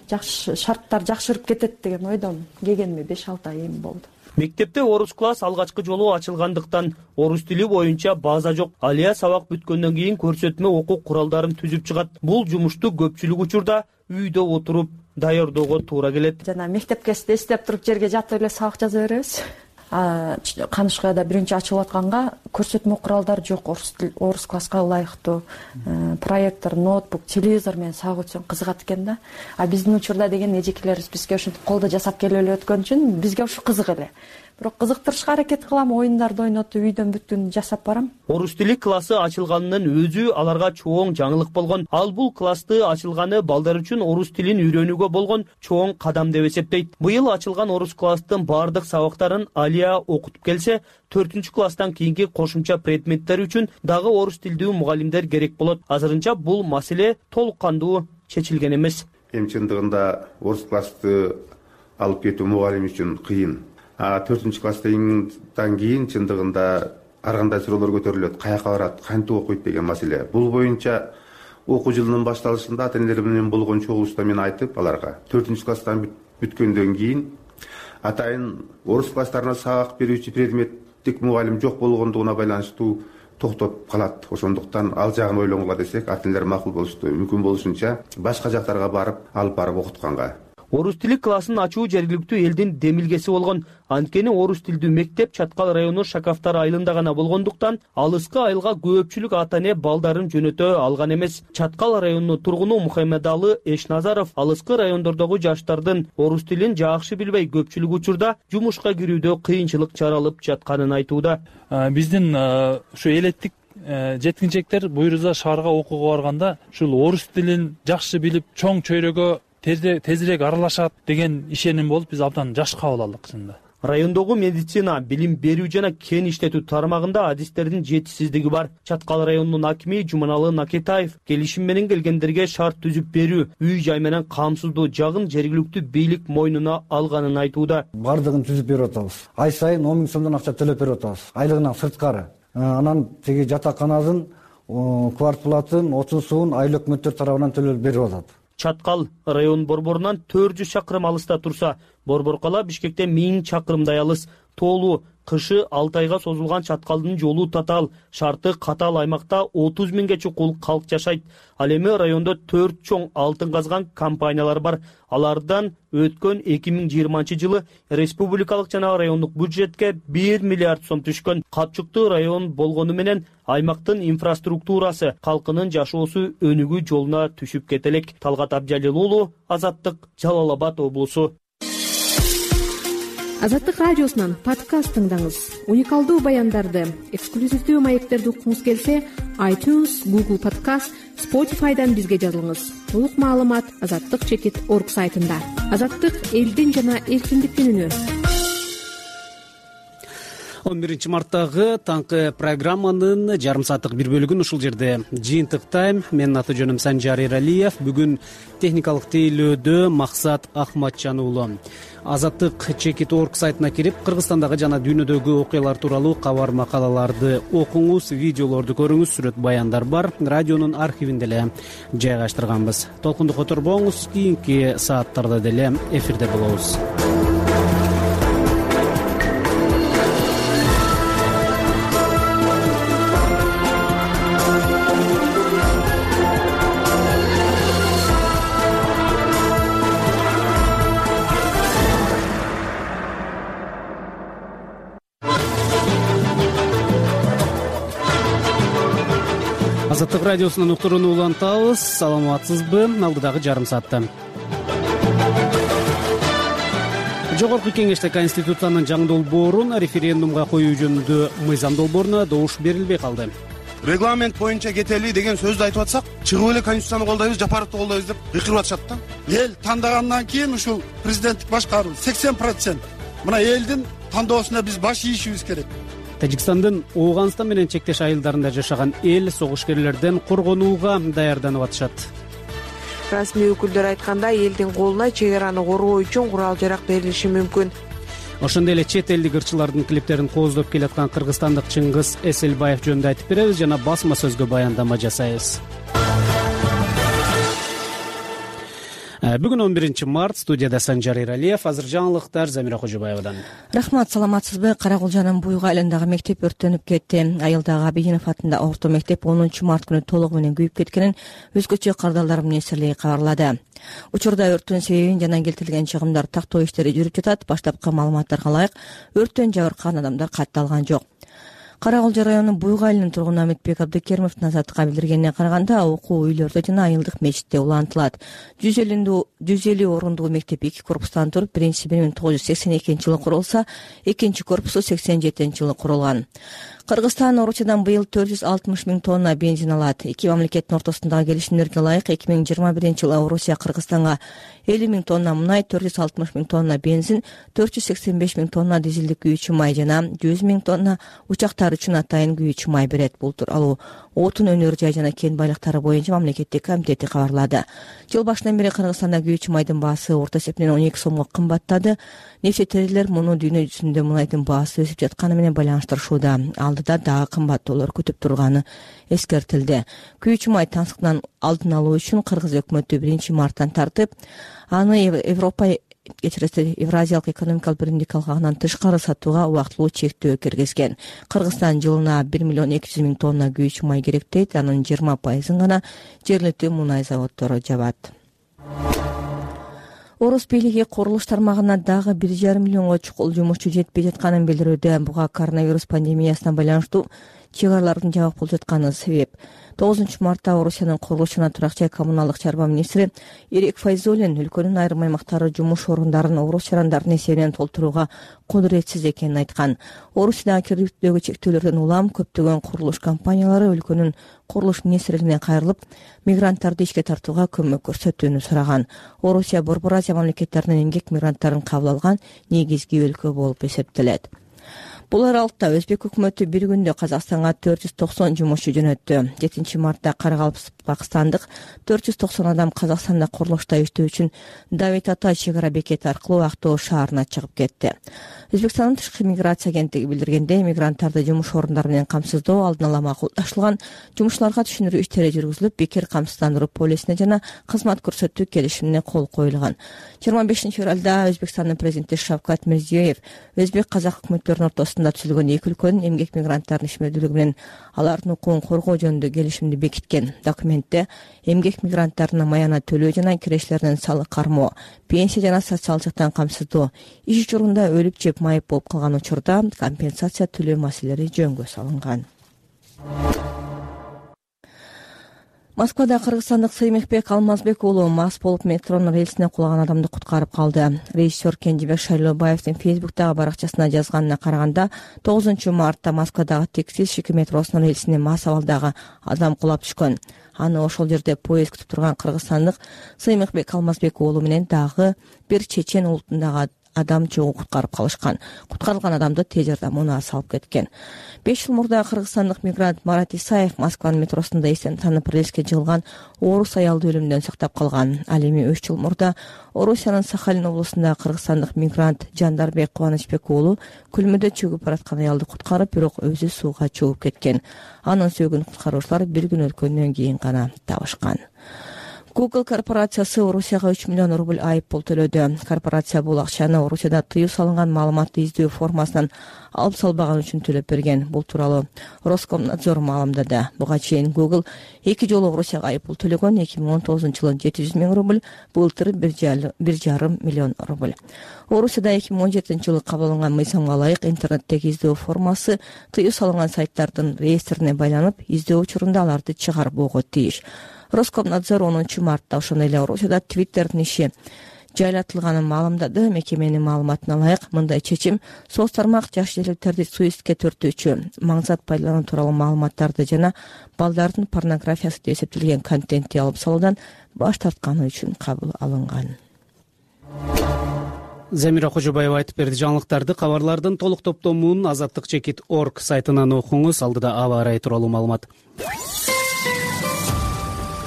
Жакшы шарттар жакшырып кетет деген ойдон келгениме 5-6 ай эми болду. Мектепте орус класс алгачкы жолу ачылгандыктан орус тили боюнча база жок. Алия сабак бүткөндөн кийин көрсөтмө окуу куралдарын түзүп чыгат. Бул жумушту көпчүлүк учурда үйдө отуруп даярдоого туура келет. Жана мектепке эстеп туруп жерге жатып эле сабак жаза беребиз. Канышкаяда биринчи ачылып атканга көрсөтмө куралдар жок, орус класска ылайыктуу. Проектор, ноутбук, телевизор менен сабак өтсөң кызыгат экен да. Биздин учурда деген эжекелерибиз бизге ошентип колдо жасап келип эле өткөн үчүн бизге ушу кызык эле. Бирок кызыктырышка аракет кылам, оюндарды ойнотуп үйдөн бүткүн жасап барам. Орус тили классы ачылганынын өзү аларга чоң жаңылык болгон. Ал бул классты ачылганы балдар үчүн орус тилин үйрөнүүгө болгон чоң кадам деп эсептейт. Быйыл ачылган орус класстын бардык сабактарын Алия окутуп келсе, 4-класстан кийинки кошумча предметтер үчүн дагы орус тилдүү мугалимдер керек болот. Азырынча бул маселе толук кандуу чечилген эмес. Эми чындыгында орус классты алып кетүү мугалим үчүн кыйын. 4-класстан кийин чындыгында ар кандай суроолор көтөрүлөт, каяка барат, кантип окуйт деген маселе. Бул боюнча окуу жылынын башталышында ата-энелер менен болгон чогулушта мен айтып, аларга 4-класстан бүткөндөн кийин атайын орус класстарына сабак берүүчү предметтик мугалим жок болгондугуна байланыштуу токтоп калат. Ошондуктан ал жагын ойлонгула десек, ата-энелер макул болушту. Мүмкүн болушунча башка жактарга барып, алып барып окутканга. Орус тили классын ачуу жергиликтүү элдин демилгеси болгон. Анткени орус тилдүү мектеп Чаткал району Шакафтар айылында гана болгондуктан, алыскы айылга көпчүлүк ата-эне балдарын жөнөтө алган эмес. Чаткал районунун тургуну Мухаммедалы Эшназаров алыскы райондордогу жаштардын орус тилин жакшы билбей көпчүлүк учурда жумушка кирүүдө кыйынчылык чаралып жатканын айтууда. Биздин ушу элеттик жеткинчектер буйруза шаарга окууга барганда ушул орус тилин жакшы билип, чоң чөйрөгө тезирээк аралашат деген ишеним болуп, биз абдан жаш кабыл алдык чынында. Райондогу медицина, билим берүү жана кен иштетүү тармагында адистердин жетишсиздиги бар. Чаткал районунун акими Жуманалы Накетаев келишим менен келгендерге шарт түзүп берүү, үй-жай менен камсыздоо жагын жергиликтүү бийлик мойнуна алганын айтууда. Бардыгын түзүп берип атабыз. Ай сайын 10 000 сомдон акча төлөп берип атабыз. Айлыгынан сырткары. Анан теги жатаканадын квартплатын, отун суун айыл өкмөттөр тарабынан төлөп берип атат. Чаткал район борборунан 400 чакырым алыста турса, Борбор кала Бишкекте 1000 чакырымдай алыс. Тоолуу, кышы 6 айга созулган Чаткалдын жолу татаал, шарты катаал аймакта 30 000ге чукул калк жашайт. Ал эми райондо 4 чоң алтын казган компаниялар бар. Алардан өткөн 2020 жылы республикалык жана райондук бюджетке 1 миллиард сом түшкөн. Капчыктуу район болгону менен аймактын инфраструктурасы, калкынын жашоосу өнүгүү жолуна түшүп кетелек. Талгат Абжалил уулу, Азаттык, Жалал Абад облусу. Азаттык радиосунан подкаст тыңдаңыз. Уникалдуу баяндарды, эксклюзивдүү маектерди уккуңуз келсе, iTunes, Google Podcast, Spotify'дан бизге жазылыңыз. Толук маалымат azattik.org сайтында. Азаттык элдин жана эркиндиктин үнү. 11 марттагы таңкы программанын жарым сааттык бир бөлүгүн ушул жерде жыйынтыктайм. Менин аты жөнүм Санжар Эралиев. Бүгүн техникалык тейлөөдө Максат Ахматжан уулу. Azattik.org сайтына кирип, Кыргызстандагы жана дүйнөдөгү окуялар тууралуу кабар макалаларды окуңуз, видеолорду көрүңүз, сүрөт баяндар бар. Радионун архивинде эле жайгаштырганбыз. Толкунду которбоңуз, кийинки сааттарда деле эфирде болобуз. Азаттык радиосунун уктурууну улантабыз. Саламатсызбы? Алдыдагы жарым саатта Жогорку кеңеште Конституциянын жаңы долбоорун референдумга коюу жөнүндө мыйзам долбооруна добуш берилбей калды. Регламент боюнча кетели деген сөздү айтып атсак, чыгып эле Конституцияны колдойбуз, Жапаровду колдойбуз деп кыйкырып атышат да. Эл тандагандан кийин ушул президенттик башкаруу 80%. Мына элдин тандоосуна биз баш ийишибиз керек. Тажикстандын Ооганстан менен чектеш айылдарында жашаган эл согушкерлерден коргонууга даярданып атышат. Расмий өкүлдөр айткандай, элдин колуна чек араны коргоо үчүн курал-жарак берилиши мүмкүн. Ошондой эле чет элдик ырчылардын клиптерин кооздоп келаткан кыргызстандык Чыңгыз Эселбаев жөнүндө айтып беребиз жана басма сөзгө баяндама жасайбыз. Бүгүн 11-март, студияда Санжар Иралиев, азыр жаңылыктар Замира Кожобаевадан. Рахмат, саламатсызбы? Каракулжанын Буйга айылындагы мектеп өрттөнүп кетти. Айылдагы Абийинов атындагы орто мектеп 10-март күнү толугу менен күйүп кеткенин өзгөчө кардалдар министрлиги кабарлады. Учурда өрттүн себебин жана келтирилген чыгымдар тактоо иштери жүрүп жатат. Баштапкы маалыматтарга ылайык, өрттөн жабыркаган адамдар катталган жок. Каракулжа районунун Буйга айылынын тургуну Аметбек Абдыкеримовдун Азаттыкка билдиргенине караганда, окуу үйлөрдө жана айылдык мечитте улантылат. 150 орундуу мектеп 2 корпустан туруп, биринчиси 1982-жылы курулса, экинчи корпусу 87-жылы курулган. Кыргызстан Орусиядан быйыл 460 000 тонна бензин алат. Эки мамлекеттин ортосундагы келишимдерге ылайык 2021-жылы Орусия Кыргызстанга 50 000 тонна мунай, 460 000 тонна бензин, 485 000 тонна дизелдик күйүүчү май жана 100 000 тонна учактар үчүн атайын күйүүчү май берет. Бул тууралуу отун өнөр жай жана кен байлыктары боюнча мамлекеттик комитети кабарлады. Жыл башынан бери Кыргызстанда күйүүчү майдын баасы орто эсепинен 12 сомго кымбаттады. Нефтетерлер муну дүйнө жүзүндө мунайдын баасы өсүп жатканы менен байланыштырышууда. Алдыда дагы кымбаттоолор күтүп турганы эскертилди. Күйүүчү май таңсыктын алдын алуу үчүн Кыргыз өкмөтү 1-марттан тартып, аны Евразиялык экономикалык биримдик алкагынан тышкары сатууга убактылуу чектөө киргизген. Кыргызстан жылына 1 200 000 тонна күйүүчү май керек дейт. Анын 20% гана жергиликтүү мунай заводдору жабат. Орус бийлиги курулуш тармагына дагы 1,5 миллионго чукул жумушчу жетпей жатканын билдирүүдө. Буга коронавирус пандемиясына байланыштуу чек аралардын жабык болуп жатканы себеп. 9-мартта Орусиянын курулуш жана турак жай коммуналдык чарба министри Ирек Файзуллин өлкөнүн айрым аймактары жумуш орундарын орус жарандардын эсебинен толтурууга кудуретсиз экенин айткан. Орусияда кирүүгө чектөөлөрдөн улам көптөгөн курулуш компаниялары өлкөнүн курулуш министрлигине кайрылып, мигранттарды ишке тартууга көмөк көрсөтүүнү сураган. Орусия Борбор Азия мамлекеттеринин эмгек мигранттарын кабыл алган негизги өлкө болуп эсептелет. Бул аралыкта Өзбек өкмөтү бир күндө Казакстанга 490 жумушчу жөнөттү. 7-мартта Каракалпакстандык 490 адам Казакстанда курулушта иштөө үчүн Давид Ата чек ара бекети аркылуу Актоо шаарына чыгып кетти. Өзбекстандын тышкы миграция агенттиги билдиргендей, мигранттарды жумуш орундары менен камсыздоо алдын ала макулдашылган, жумушчуларга түшүндүрүү иштери жүргүзүлүп, бекер камсыздандыруу полисине жана кызмат көрсөтүү келишимине кол коюлган. 25-февралда Өзбекстандын президенти Шавкат Мирзиёев өзбек казак өкмөттөрүнүн ортосунда түзүлгөн эки өлкөнүн эмгек мигранттарынын ишмердүүлүгү менен алардын укугун коргоо жөнүндө келишимди бекиткен. Документте эмгек мигранттарына маяна төлөө жана кирештеринен салык кармоо, пенсия жана социалдык жактан камсыздоо, иш учурунда өлүп жеп майып болуп калган учурда компенсация төлөө маселелери жөнгө салынган. Москвада кыргызстандык Сыймыкбек Алмазбек уулу мас болуп метронун рельсине кулаган адамды куткарып калды. Режиссер Кенжебек Шайлообаевдин Фейсбуктагы баракчасына жазганына караганда, 9-мартта Москвадагы текстиль метросунун рельсине мас абалдагы адам кулап түшкөн. Аны ошол жерде поезд күтүп турган кыргызстандык Сыймыкбек Алмазбек уулу менен дагы бир чечен улутундагы адам чогуу куткарып калышкан. Куткарылган адамды тез жардам унаа салып кеткен. 5 жыл мурда кыргызстандык мигрант Марат Исаев Москванын метросунда эстен танып рельске жыгылган орус аялды өлүмдөн сактап калган. Ал эми 3 жыл мурда Орусиянын Сахалин облусунда кыргызстандык мигрант Жандарбек Кубанычбек уулу күлмөдө чөгүп бараткан аялды куткарып, бирок өзү сууга чөгүп кеткен. Анын сөөгүн куткаруучулар бир күн өткөндөн кийин гана табышкан. Google корпорациясы Орусияга 3 миллион рубль айып пул төлөдү. Корпорация бул акчаны Орусияда тыюу салынган маалыматты издөө формасынан алып салбаган үчүн төлөп берген. Бул тууралуу Роскомнадзор маалымдады. Буга чейин Google 2 жолу Орусияга айып пул төлөгөн. 2019-жылы 700 миң рубль, былтыр 1,5 миллион рубль. Орусияда 2017-жылы кабыл алынган мыйзамга ылайык интернеттеги издөө формасы тыюу салынган сайттардын реестрине байланып, издөө учурунда аларды чыгарып бугуу тийиш. Роскомнадзор 10 мартта ошондой эле Орусияда Twitter'дин иши жайлатылганын маалымдады. Мекеменин маалыматына ылайык мындай чечим соц тармак жаш элдерди суицидке төртүүчү, маңзат пайдалануу тууралуу маалыматтарды жана балдардын порнографиясы деп эсептелген контентти алып салуудан баш тартканы үчүн кабыл алынган. Замира Кожобаева айтып берди. Жаңылыктарды, кабарлардын толук топтомун azattik.org сайтынан окуңуз. Алдыда аба ырайы тууралуу маалымат.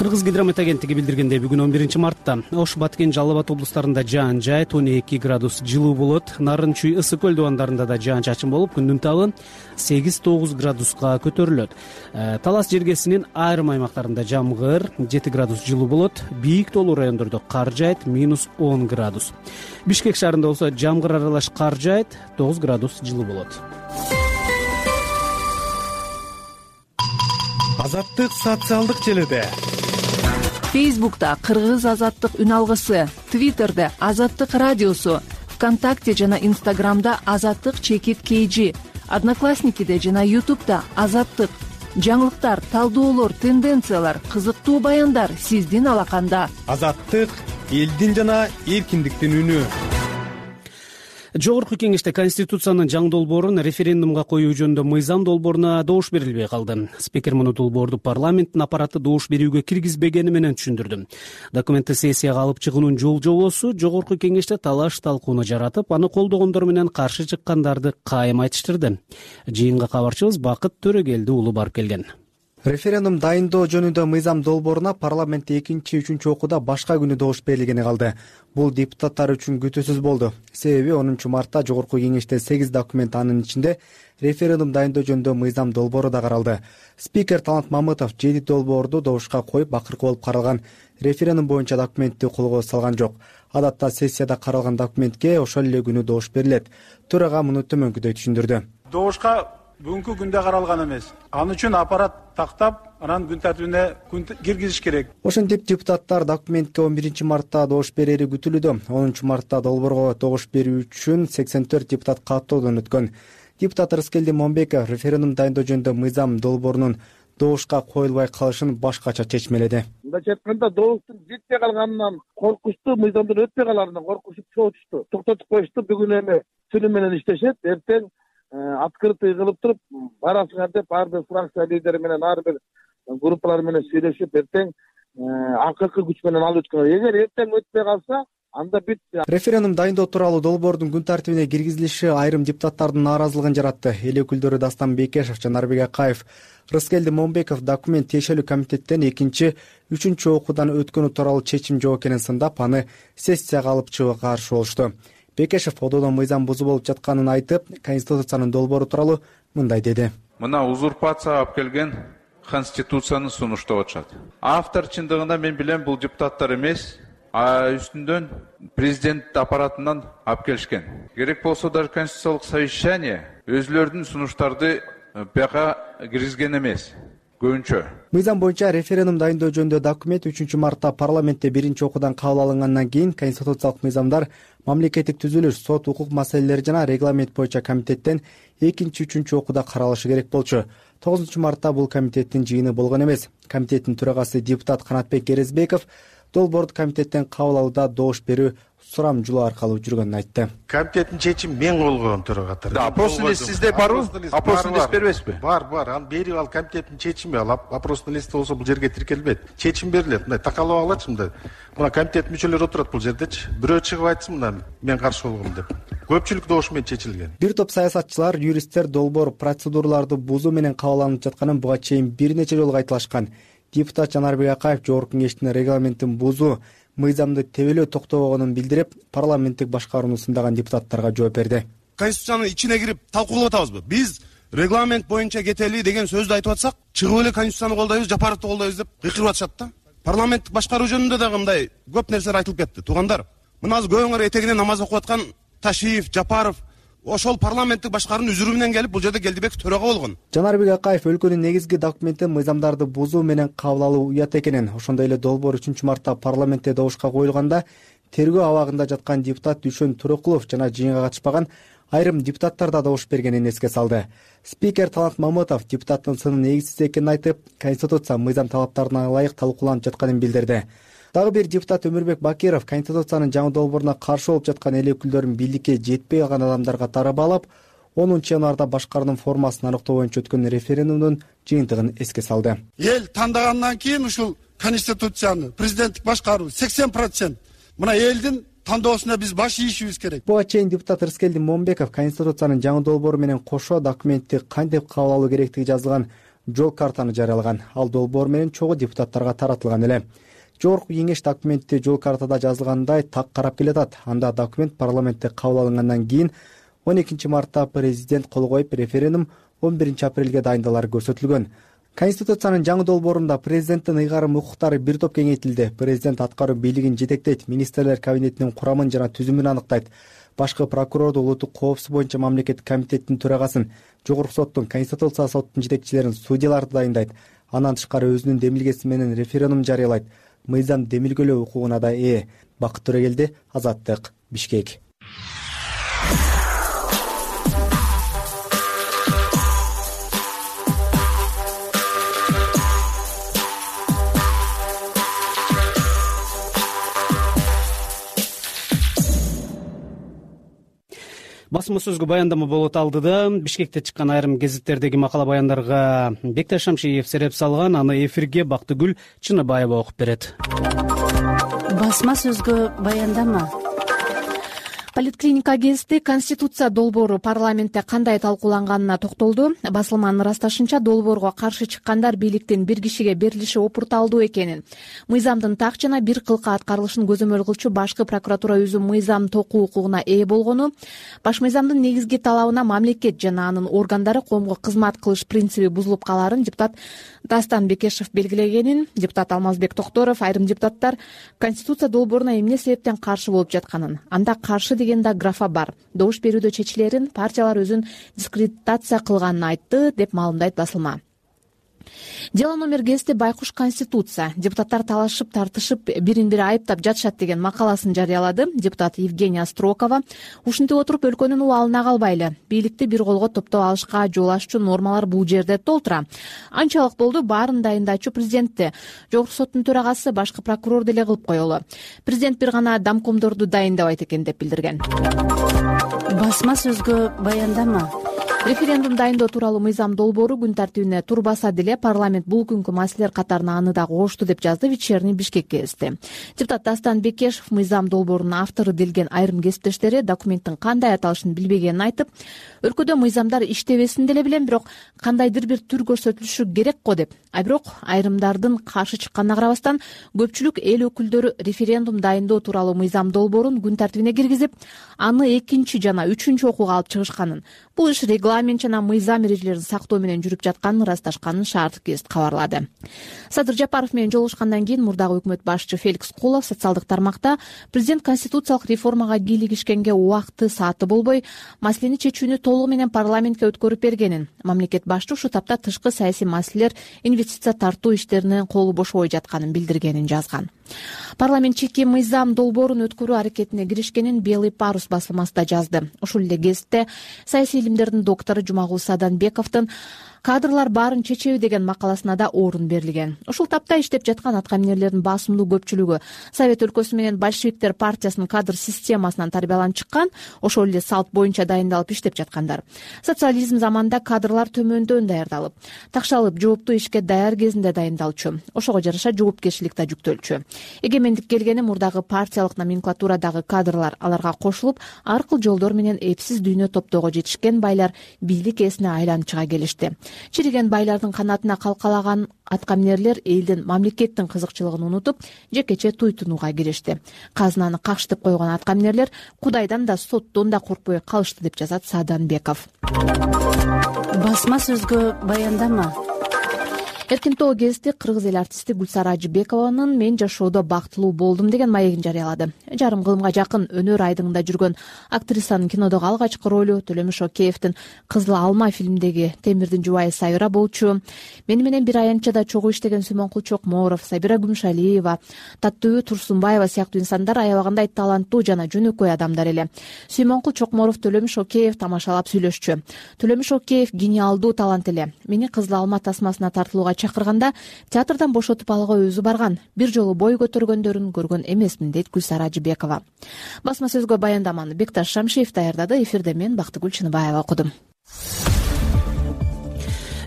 Кыргыз гидромет агенттиги билдиргендей, бүгүн 11 мартта Ош, Баткен, Жалал Абад облустарында жаан жайт 12 градус жылуу болот. Нарын, Чүй, Ысык көл дубандарында да жаан-чачын болуп, күндүн табы 8-9 градуска көтөрүлөт. Талас жергесинин айрым аймактарында жамгыр 7 градус жылуу болот. Бийик тоолуу райондордо кар жайт -10 градус. Бишкек шаарында болсо жамгыр аралаш кар жайт 9 градус жылуу болот. Азаттык социалдык желеде. Фейсбукта Кыргыз азаттык үн алгысы, Твиттерде Азаттык радиосу, ВКонтакте жана Инстаграмда Азаттык чекит KG, Одноклассникиде жана Ютубта Азаттык. Жаңылыктар, талдоолор, тенденциялар, кызыктуу баяндар сиздин алаканда. Азаттык элдин жана эркиндиктин үнү. Жогорку кеңеште Конституциянын жаңы долбоорун референдумга коюу жөнүндө мыйзам долбооруна добуш берилбей калды. Спикер муну долбоорду парламенттин аппараты добуш берүүгө киргизбегени менен түшүндүрдү. Документти сессияга алып чыгуунун жол-жобосу жогорку кеңеште талаш-талкууну жаратып, аны колдогондор менен каршы чыккандарды кайым айтыштырды. Жыйынга кабарчыбыз Бакыт Төрөгелди уулу барып келген. Референдум дайындоо жөнүндө мыйзам долбооруна парламентте 2-3 окууда башка күнү добуш берилгени калды. Бул депутаттар үчүн күтүүсүз болду. Себеби 10 мартта жогорку кеңеште 8 документ, анын ичинде референдум дайындоо жөнүндө мыйзам долбоору да каралды. Спикер Талант Мамытов 7 долбоорду добушка коюп, акыркы болуп каралган референдум боюнча документти колго салган жок. Адатта сессияда каралган документке ошол эле күнү добуш берилет. Төрага муну төмөнкүдөй түшүндүрдү. Добушка бүгүнкү күндө каралган эмес. Аны үчүн аппарат тактап, анан күн тартибине киргизиш керек. Ошентип депутаттар документке 11 мартта добуш берери күтүлүүдө. 10 мартта долбоорго добуш берүү үчүн 84 депутат каттоодон өткөн. Депутат Рыскелди Момбеков референдум дайындоо жөнүндө мыйзам долбоорунун добушка коюлбай калышын башкача чечмеледи. Мындайча айтканда, добуштун жетпей калганынан коркушту, мыйзамдын өтпөй каларынан коркушуп чогулушту. Токтотуп коюшту. Бүгүн эми сүнү менен иштешет. Эртең открытый кылып туруп барасыңар деп ар бир фракция лидери менен, ар бир группалар менен сүйлөшүп, эртең акыркы күч менен алып өткөн. Эгер эртең өтпөй калса, анда бүт. Референдум дайындоо тууралуу долбоордун күн тартибине киргизилиши айрым депутаттардын нааразылыгын жаратты. Эл өкүлдөрү Дастан Бекешев, Жанарбек Акаев, Рыскелди Момбеков документ тиешелүү комитеттен 2-3 окуудан өткөнү тууралуу чечим жок экенин сындап, аны сессияга алып чыгууга каршы болушту. Бекешев ододон мыйзам бузуу болуп жатканын айтып, Конституциянын долбоору тууралуу мындай деди. Мына узурпация алып келген Конституцияны сунуштап атышат. Автор чындыгында мен билем, бул депутаттар эмес, үстүндөн президент аппаратынан алып келишкен. Керек болсо даже конституциялык совещание өзлөрүнүн сунуштарды бияка киргизген эмес. Көбүнчө. Мыйзам боюнча референдум дайындоо жөнүндө документ 3 мартта парламентте 1 окуудан кабыл алынгандан кийин конституциялык мыйзамдар, мамлекеттик түзүлүш, сот, укук маселелери жана регламент боюнча комитеттен 2-3 окууда каралышы керек болчу. 9 мартта бул комитеттин жыйыны болгон эмес. Комитеттин төрагасы депутат Канатбек Керезбеков долбоорду комитеттен кабыл алууда добуш берүү сурамжылоо аркылуу жүргөнүн айтты. Комитеттин чечими мен колгон төрагаттар. Опростун листи сизде барбы? Опростун лист бербесизби? Бар. Аны берип ал комитеттин чечими, ал опростун листи болсо бул жерге тиркелбейт. Чечим берилет. Мындай такалап алачы мындай. Мына комитет мүчөлөрү отурат бул жердечи. Бирөө чыгып айтсын мына мен каршы болгом деп. Көпчүлүк добуш менен чечилген. Бир топ саясатчылар, юристтер долбоор процедураларды бузуу менен кабыл алынып жатканын буга чейин бир нече жолу айтылышкан. Депутат Жанарбек Акаев жогорку кеңештин регламентин бузуу, мыйзамды тебелөө токтобогонун билдирип, парламенттик башкарууну сындаган депутаттарга жооп берди. Конституциянын ичине кирип талкуулап атабызбы? Биз регламент боюнча кетели деген сөздү айтып атсак, чыгып эле Конституцияны колдойбуз, Жапаровду колдойбуз деп кыйкырып атышат да. парламенттик башкаруу жөнүндө дагы мындай көп нерселер айтылып кетти. Туугандар, мына азыр көбүңөр этегинен намаз окуп аткан Ташиев, Жапаров ошол парламенттик башкаруунун үзүрү менен келип бул жерде Келдибеков төрага болгон. Жанарбек Акаев өлкөнүн негизги документин мыйзамдарды бузуу менен кабыл алуу уят экенин, ошондой эле долбоор 3-мартта парламентте добушка коюлганда тергөө абагында жаткан депутат Дүшөн Турокулов жана жыйынга катышпаган айрым депутаттар да добуш бергенин эске салды. Спикер Талант Мамытов депутаттын сынын негизсиз экенин айтып, Конституция мыйзам талаптарына ылайык талкууланып жатканын билдирди. Дагы бир депутат Өмүрбек Бакиров Конституциянын жаңы долбооруна каршы болуп жаткан эл өкүлдөрүн бийликке жетпей калган адамдарга тарабалап, 10-январда башкаруунун формасын аныктоо боюнча өткөн референдумдун жыйынтыгын эске салды. Эл тандагандан кийин ушул Конституцияны, президенттик башкаруу 80%. Мына элдин тандоосуна биз баш ийишибиз керек. Буга чейин депутат Рыскелди Момбеков Конституциянын жаңы долбоору менен кошо документти кантип кабыл алуу керектиги жазылган жол картаны жарыялаган. Ал долбоор менен чогуу депутаттарга таратылган эле. Жогорку кеңеш документти жол картада жазылгандай так карап келатат. Анда документ парламентте кабыл алынгандан кийин 12-мартта президент кол коюп, референдум 11-апрелге дайындалары көрсөтүлгөн. Конституциянын жаңы долбоорунда президенттин ыйгарым укуктары бир топ кеңейтилди. Президент аткаруу бийлигин жетектейт, министрлер кабинетинин курамын жана түзүмүн аныктайт. Башкы прокурорду улуттук коопсуздук боюнча мамлекеттик комитеттин төрагасын, жогорку соттун, Конституция соттун жетекчилерин, судьяларды дайындайт. Андан тышкары өзүнүн демилгеси менен референдум жарыялайт. Мыйзам демилгелөө укугуна да ээ. Бакыт Төрөгелди, Азаттык, Бишкек. Басма сөзгө баяндама болот алдыда Бишкекте чыккан айрым гезиттердеги макала баяндарга Бекташ Шамшиев сереп салган, аны эфирге Бактыгүл Чыныбаева окуп берет. Басма сөзгө баяндама. Политклиника гезити Конституция долбоору парламентте кандай талкууланганына токтолду. Басылманын ырасташынча, долбоорго каршы чыккандар бийликтин бир кишиге берилиши опурталдуу экенин, мыйзамдын так жана бир кылка аткарылышын көзөмөл кылчу башкы прокуратура өзү мыйзам токуу укугуна ээ болгону, баш мыйзамдын негизги талабына мамлекет жана анын органдары коомго кызмат кылыш принциби бузулуп калаарын депутат Дастан Бекешев белгилегенин, депутат Алмазбек Токторов айрым депутаттар Конституция долбооруна эмне себептен каршы болуп жатканын, анда каршы деген да графа бар, добуш берүүдө чечилерин партиялар өзүн дискредитация кылганын айтты, деп маалымдайт басылма. Дело номер гезити Байкуш Конституция. Депутаттар талашып, тартышып, бирин-бири айыптап жатышат деген макаласын жарыялады. Депутат Евгения Строкова ушинтип отуруп өлкөнүн убалына калбайлы. Бийликти бир колго топтоп алышка жол аччу нормалар бул жерде толтура. Анчалык болду, баарын дайындачу президентти. Жогорку соттун төрагасы башкы прокурор деле кылып коелу. Президент бир гана домкомдорду дайындабайт экен деп билдирген. Басма сөзгө баяндама. Референдум дайындоо тууралуу мыйзам долбоору күн тартибине турбаса деле парламент бул күнкү маселелер катарына аны да кошту деп жазды Вечерний Бишкек гезити. Депутат Дастан Бекешев мыйзам долбоорунун автору делген айрым кесиптештери документтин кандай аталышын билбегенин айтып, өлкөдө мыйзамдар иштебесин деле билем, бирок кандайдыр бир түр көрсөтүлүшү керек го деп. Бирок айрымдардын каршы чыкканына карабастан көпчүлүк эл өкүлдөрү референдум дайындоо тууралуу мыйзам долбоорун күн тартибине киргизип, аны 2 жана 3 окууга алып чыгышканын, бул иш регламент жана мыйзам эрежелерин сактоо менен жүрүп жатканын ырасташканын Шаардык гезит кабарлады. Садыр Жапаров менен жолугушкандан кийин мурдагы өкмөт башчы Феликс Кулов социалдык тармакта президент конституциялык реформага кийлигишкенге убакыты сааты болбой, маселени чечүүнү толугу менен парламентке өткөрүп бергенин, мамлекет башчы ушу тапта тышкы саясий маселелер, инвестиция тартуу иштеринен колу бошобой жатканын билдиргенин жазган. Парламент чеки мыйзам долбоорун өткөрүү аракетине киришкенин Белый парус басылмасы да жазды. Ушул эле гезитте саясий илимдердин доктору Жумагул Саданбековдун кадрлар баарын чечеби деген макаласына да орун берилген. Ушул тапта иштеп жаткан аткаминерлердин басымдуу көпчүлүгү Совет өлкөсү менен большевиктер партиясынын кадр системасынан тарбияланып чыккан, ошол эле салт боюнча дайындалып иштеп жаткандар. Социализм заманында кадрлар төмөндөн даярдалып, такшалып жооптуу ишке даяр кезинде дайындалчу, ошого жараша жоопкерчилик да жүктөлчү. Эгемендик келгени мурдагы партиялык номенклатурадагы кадрлар аларга кошулуп, ар кыл жолдор менен эпсиз дүйнө топтоого жетишкен байлар бийлик ээсине айланып чыга келишти. Чириген байлардын канатына калкалаган аткаминерлер элдин мамлекеттин кызыкчылыгын унутуп, жекече туйтунууга киришти. Казынаны какшытып койгон аткаминерлер Кудайдан да соттон да коркпой калышты деп жазат Саданбеков. Басма сөзгө баяндама. Эркин Тоо гезити кыргыз эл артисти Гүлсара Ажыбекованын «Мен жашоодо бактылуу болдум» деген маегин жарыялады. Жарым кылымга жакын өнөр айдыңында жүргөн актрисанын кинодогу алгачкы ролу Төлөмүш Океевдин «Кызыл алма» фильминдеги Темирдин жубайы Сайыра болчу, мени менен бир аянтчада чогуу иштеген Сүймөнкул Чокморов, Сабира Күмүшалиева, Таттуу Турсунбаева сыяктуу инсандар аябагандай таланттуу жана жөнөкөй адамдар эле. Сүймөнкул Чокморов Төлөмүш Океев тамашалап сүйлөшчү. Төлөмүш Океев гениалдуу талант эле. Мени Кызыл алма тасмасына тартылууга чакырганда театрдан бошотуп алууга өзү барган. Бир жолу бой көтөргөндөрүн көргөн эмесмин, дейт Гүлсара Ажыбекова. Басма сөзгө баяндаманы Бекташ Шамшиев даярдады. Эфирде мен Бактыгүл Чыныбаева окудум.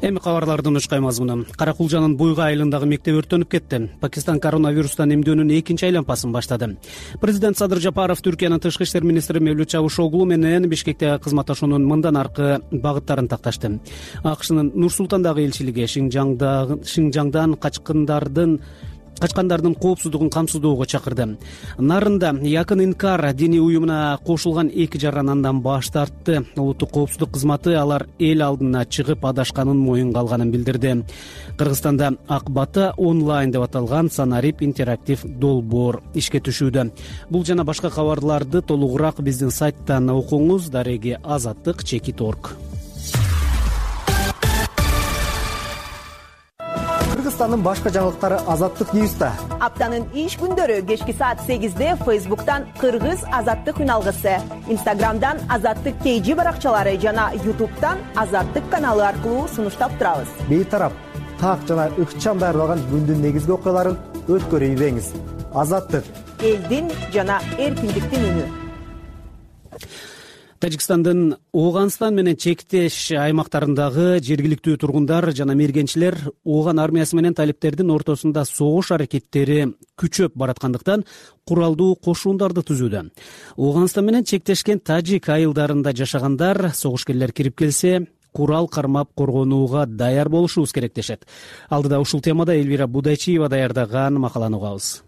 Эми кабарлардын учкай мазмуну. Каракулжанын Буйга айылындагы мектеп өрттөнүп кетти. Пакистан коронавирустан эмдөөнүн экинчи айланпасын баштады. Президент Садыр Жапаров Түркиянын тышкы иштер министри Мевлют Чавушоглу менен Бишкектеги кызматташуунун мындан аркы багыттарын такташты. АКШнын Нур-Султандагы элчилиги Шинжаңдан качкандардын коопсуздугун камсыздоого чакырды. Нарында Якын Инкар диний уюмуна кошулган 2 жаран андан баш тартты. Улуттук коопсуздук кызматы алар эл алдына чыгып адашканын моюнга алганын билдирди. Кыргызстанда Ак бата онлайн деп аталган санарип интерактив долбоор ишке түшүүдө. Бул жана башка кабарларды толугураак биздин сайттан окуңуз. Дареги Азаттык.org. Кыргызстандын башка жаңылыктары Азаттык Ньюста. Аптанын иш күндөрү кечки саат 8-де Facebook'тан Кыргыз Азаттык үналгысы, Instagram'дан Азаттык KG баракчалары жана YouTube'дан Азаттык каналы аркылуу сунуштап турабыз. Бейтарап, так жана ыкчам даярдалган күндүн негизги окуяларын өткөрүп ийбеңиз. Азаттык элдин жана эркиндиктин үнү. Тажикстандын Ооганстан менен чектеш аймактарындагы жергиликтүү тургундар жана мергенчилер Ооган армиясы менен талиптердин ортосунда согуш аракеттери күчөп бараткандыктан куралдуу кошуундарды түзүүдө. Ооганстан менен чектешкен тажик айылдарында жашагандар согушкерлер кирип келсе, курал кармап коргонууга даяр болушубуз керек дешет. Алдыда ушул темада Элвира Будайчиева даярдаган макаланы угабыз.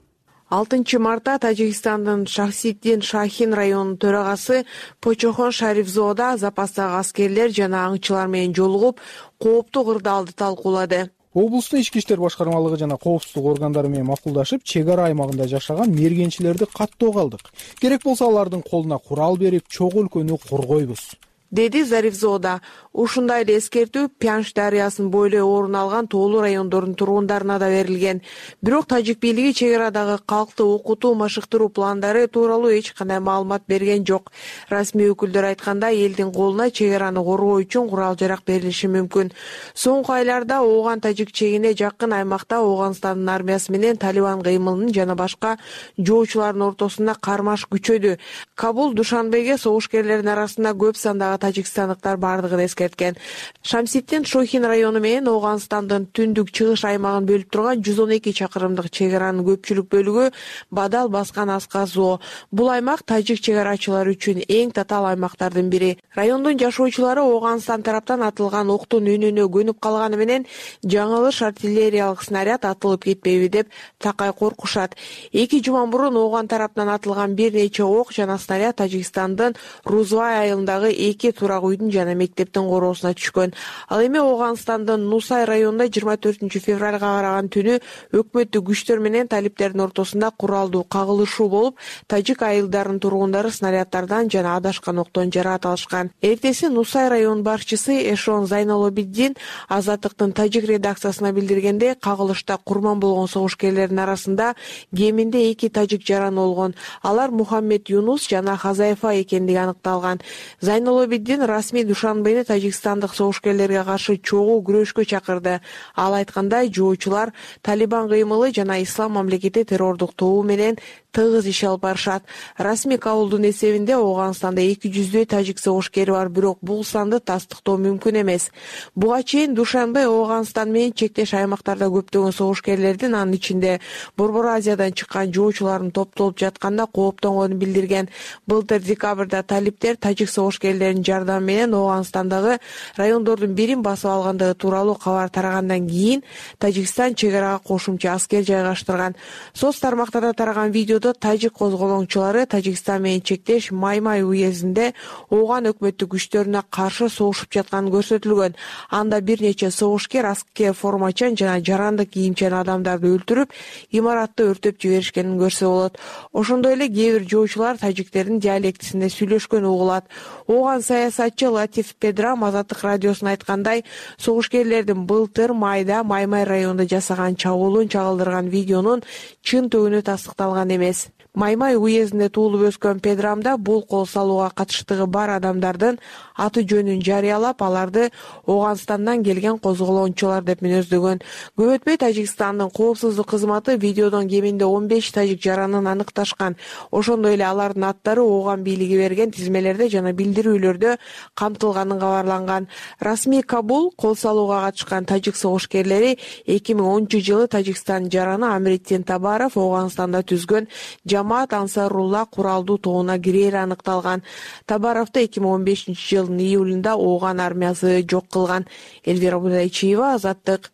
6 мартта Тажикстандын Шахсиддин Шахин районунун төрагасы Почохон Шарифзоода запастагы аскерлер жана аңчылар менен жолугуп, кооптуу кырдаалды талкуулады. Облустун ички иштер башкармалыгы жана коопсуздук органдары менен макулдашып, чек ара аймагында жашаган мергенчилерди каттоого алдык. Керек болсо алардын колуна курал берип, чогуу өлкөнү коргойбуз, деди Зарифзоода. Ушундай эле эскертүү Пянш дарыясынын бойлой орун алган тоолуу райондордун тургундарына да берилген. Бирок тажик бийлиги чек арадагы калкты окутуу, машыктыруу пландары тууралуу эч кандай маалымат берген жок. Расмий өкүлдөр айтканда, элдин колуна чек араны коргоо үчүн курал-жарак берилиши мүмкүн. Соңку айларда Ооган тажик чегине жакын аймакта Ооганстандын армиясы менен Талибан кыймылынын жана башка жоочулардын ортосунда кармаш күчөдү. Кабул Душанбеге согушкерлердин арасында көп сандагы тажикстандыктар бардыгын эскерткен. Шамсиддин Шохин району менен Ооганстандын түндүк-чыгыш аймагын бөлүп турган 112 чакырымдык чек аранын көпчүлүк бөлүгү Бадал баскан Асказоо. Бул аймак тажик чек арачылары үчүн эң татаал аймактардын бири. Райондун жашоочулары Ооганстан тараптан атылган октун үнүнө көнүп калганы менен жаңылыш артиллериялык снаряд атылып кетпейби деп такай коркушат. 2 жума мурун Ооган тараптан атылган бир нече ок жана снаряд Тажикстандын Рузвай айылындагы 2 турак үйдүн жана мектептин короосуна түшкөн. Ал эми Ооганстандын Нусай районунда 24 февралга караган түнү өкмөттүк күчтөр менен талиптердин ортосунда куралдуу кагылышуу болуп, тажик айылдарынын тургундары снаряддардан жана адашкан октон жаракат алышкан. Эртеси Нусай район башчысы Эшон Зайнолобиддин Азаттыктын тажик редакциясына билдиргенде, кагылышта курман болгон согушкерлердин арасында кеминде 2 тажик жаран болгон. Алар Мухаммед Юнус жана Хазаефа экендиги аныкталган. Зайнолобиддин расмий Душанбени тажикстандык согушкерлерге каршы чогуу күрөшкө чакырды. Ал айткандай, жоочулар Талибан кыймылы жана Ислам мамлекети террордук тобу менен тыгыз иш алып барышат. Расмий Кабулдун эсебинде Ооганстанда 200дөй тажик согушкери бар, бирок бул санды тастыктоо мүмкүн эмес. Буга чейин Душанбе Ооганстан менен чектеш аймактарда көптөгөн согушкерлердин, анын ичинде Борбор Азиядан чыккан жоочулардын топтолуп жатканда кооптонгонун билдирген. Былтыр декабрда талиптер тажик согушкерлеринин жардамы менен Ооганстандагы адамы райондордун бирин басып алгандыгы тууралуу кабар тарагандан кийин Тажикстан чек арага кошумча аскер жайгаштырган. Соц тармактарда тараган видеодо тажик козголоңчулары Тажикстан менен чектеш Маймай уездинде Ооган өкмөттүк күчтөрүнө каршы согушуп жатканы көрсөтүлгөн. Анда бир нече согушкер аскер формачан жана жарандык кийимчен адамдарды өлтүрүп, имаратты өртөп жиберишкенин көрсө болот. Ошондой эле кээ бир жоочулар тажиктердин диалектисинде сүйлөшкөн угулат. Ооган саясатчы Латиф Педрам Азаттык радиосуна айткандай, согушкерлердин былтыр майда Маймай районунда жасаган чабуулун чагылдырган видеонун чын түбүнү тастыкталган эмес. Маймай уездинде туулуп өскөн Педрамда бул кол салууга катыштыгы бар адамдардын аты жөнүн жарыялап, аларды Ооганстандан келген козголоңчулар деп мүнөздөгөн. Көп өтпөй Тажикстандын коопсуздук кызматы видеодон кеминде 15 тажик жаранын аныкташкан. Ошондой эле алардын аттары Ооган бийлиги берген тизмелерде жана билдирүүлөрдө камтылганын кабарланган. Расмий Кабул кол салууга катышкан тажик согушкерлери 2010-жылы Тажикстандын жараны Амритдин Табаров Ооганстанда түзгөн Жамаат Ансарулла куралдуу тобуна кирери аныкталган. Табаровду 2015-жылдын июлунда Ооган армиясы жок кылган. Элвира Будайчиева, Азаттык.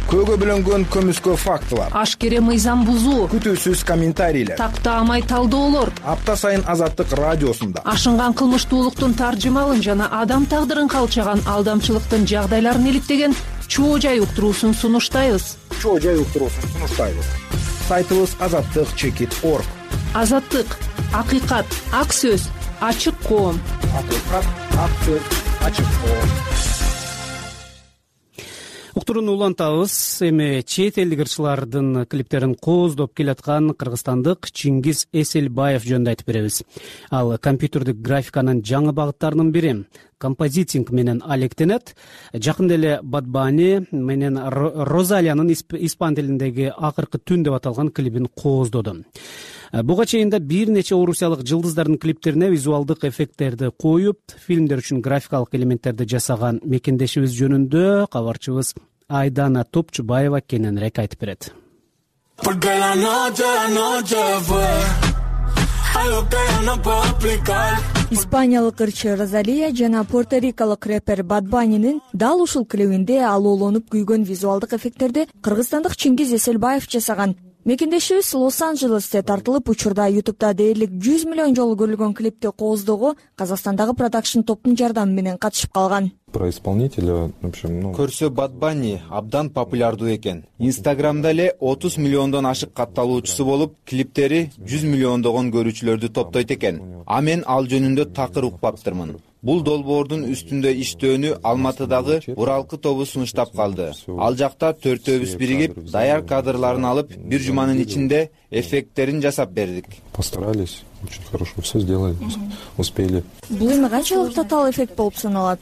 Көөгө бөлөнгөн көмүскө фактылар, ашкере мыйзам бузуу, күтүүсүз комментарийлер, тактаамай талдоолор апта сайын Азаттык радиосунда ашынган кылмыштуулуктун таржымалын жана адам тагдырын калчаган алдамчылыктын жагдайларын иликтеген чоо жай уктуруусун сунуштайбыз. Сайтыбыз azattik.org. Азаттык, акыйкат, ак сөз, ачык коом. Уктурууну улантабыз. Эми чет элдик ырчылардын клиптерин кооздоп келаткан кыргызстандык Чингиз Эселбаев жөнүндө айтып беребиз. Ал компьютердик графиканын жаңы багыттарынын бири. Композитинг менен алектенет. Жакында эле Bad Bunny менен Розалиянын испан тилиндеги акыркы түн деп аталган клипин кооздоду. Буга чейин да бир нече орусиялык жылдыздардын клиптерине визуалдык эффекттерди коюп, фильмдер үчүн графикалык элементтерди жасаган мекендешибиз жөнүндө кабарчыбыз Айдана Топчубаева кененирээк айтып берет. Испаниялык ырчы Розалия жана порторикалык рэпер Bad Bunny'нин дал ушул клибинде алоолонуп күйгөн визуалдык эффекттерди кыргызстандык Чингиз Эселбаев жасаган. Мекендешибиз Лос-Анджелесте тартылып, учурда YouTube'да дээрлик 100 миллион жолу көрүлгөн клипти кооздоого Казакстандагы продакшн топтун жардамы менен катышып калган. Про исполнителя, в общем, көрсө Bad Bunny абдан популярдуу экен. Инстаграмда эле 30 миллиондон ашык катталуучусу болуп, клиптери 100 миллиондогон көрүүчүлөрдү топтойт экен. А мен ал жөнүндө такыр укпаптырмын. Бул долбоордун үстүндө иштөөнү Алматыдагы Уралкы тобу сунуштап калды. Ал жакта төртөөбүз биригип, даяр кадрларын алып, бир жуманын ичинде эффекттерин жасап бердик. Постарались, очень хорошо все сделали, успели. Бул эми канчалык татаал эффект болуп саналат?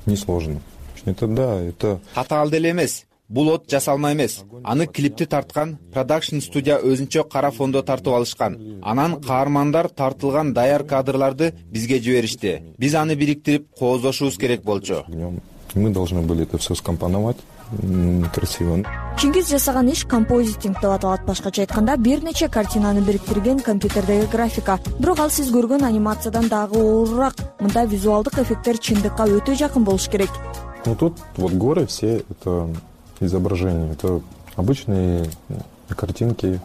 Несложно. Это татаал деле эмес. Бул от жасалма эмес. Аны клипти тарткан продакшн студия өзүнчө кара фондо тартып алышкан. Анан каармандар тартылган даяр кадрларды бизге жиберишти. Биз аны бириктирип кооздошубуз керек болчу. Мы должны были это все скомпоновать красиво. Чингиз жасаган иш композитинг деп аталат. Башкача айтканда, бир нече картинаны бириктирген компьютердеги графика. Бирок ал сиз көргөн анимациядан дагы оорураак. Мында визуалдык эффекттер чындыкка өтө жакын болуш керек. Ну тут вот горы все это изображения, это обычные картинки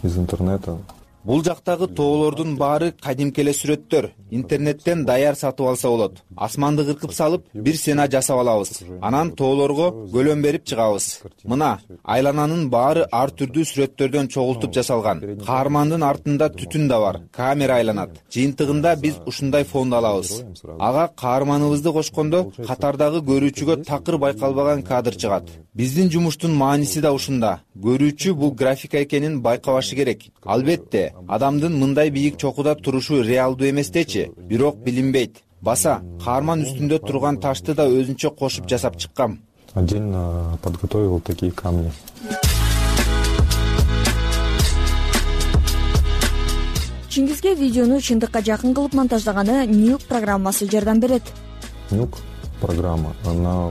из интернета. Бул жактагы тоолордун баары кадимки эле сүрөттөр. Интернеттен даяр сатып алса болот. Асманды кыркып салып, бир сцена жасап алабыз. Анан тоолорго көлөм берип чыгабыз. Мына, айлананын баары ар түрдүү сүрөттөрдөн чогултуп жасалган. Каармандын артында түтүн да бар. Камера айланат. Жыйынтыгында биз ушундай фонд алабыз. Ага каарманыбызды кошкондо катардагы көрүүчүгө такыр байкалбаган кадр чыгат. Биздин жумуштун мааниси да ушунда. Көрүүчү бул графика экенин байкабашы керек. Албетте, адамдын мындай бийик чокуда турушу реалдуу эместечи, бирок билинбейт. Баса, каарман үстүндө турган ташты да өзүнчө кошуп жасап чыккам. Отдельно подготовил такие камни. Чингизге видеону чындыкка жакын кылып монтаждаганы Nuke программасы жардам берет. Nuke программа.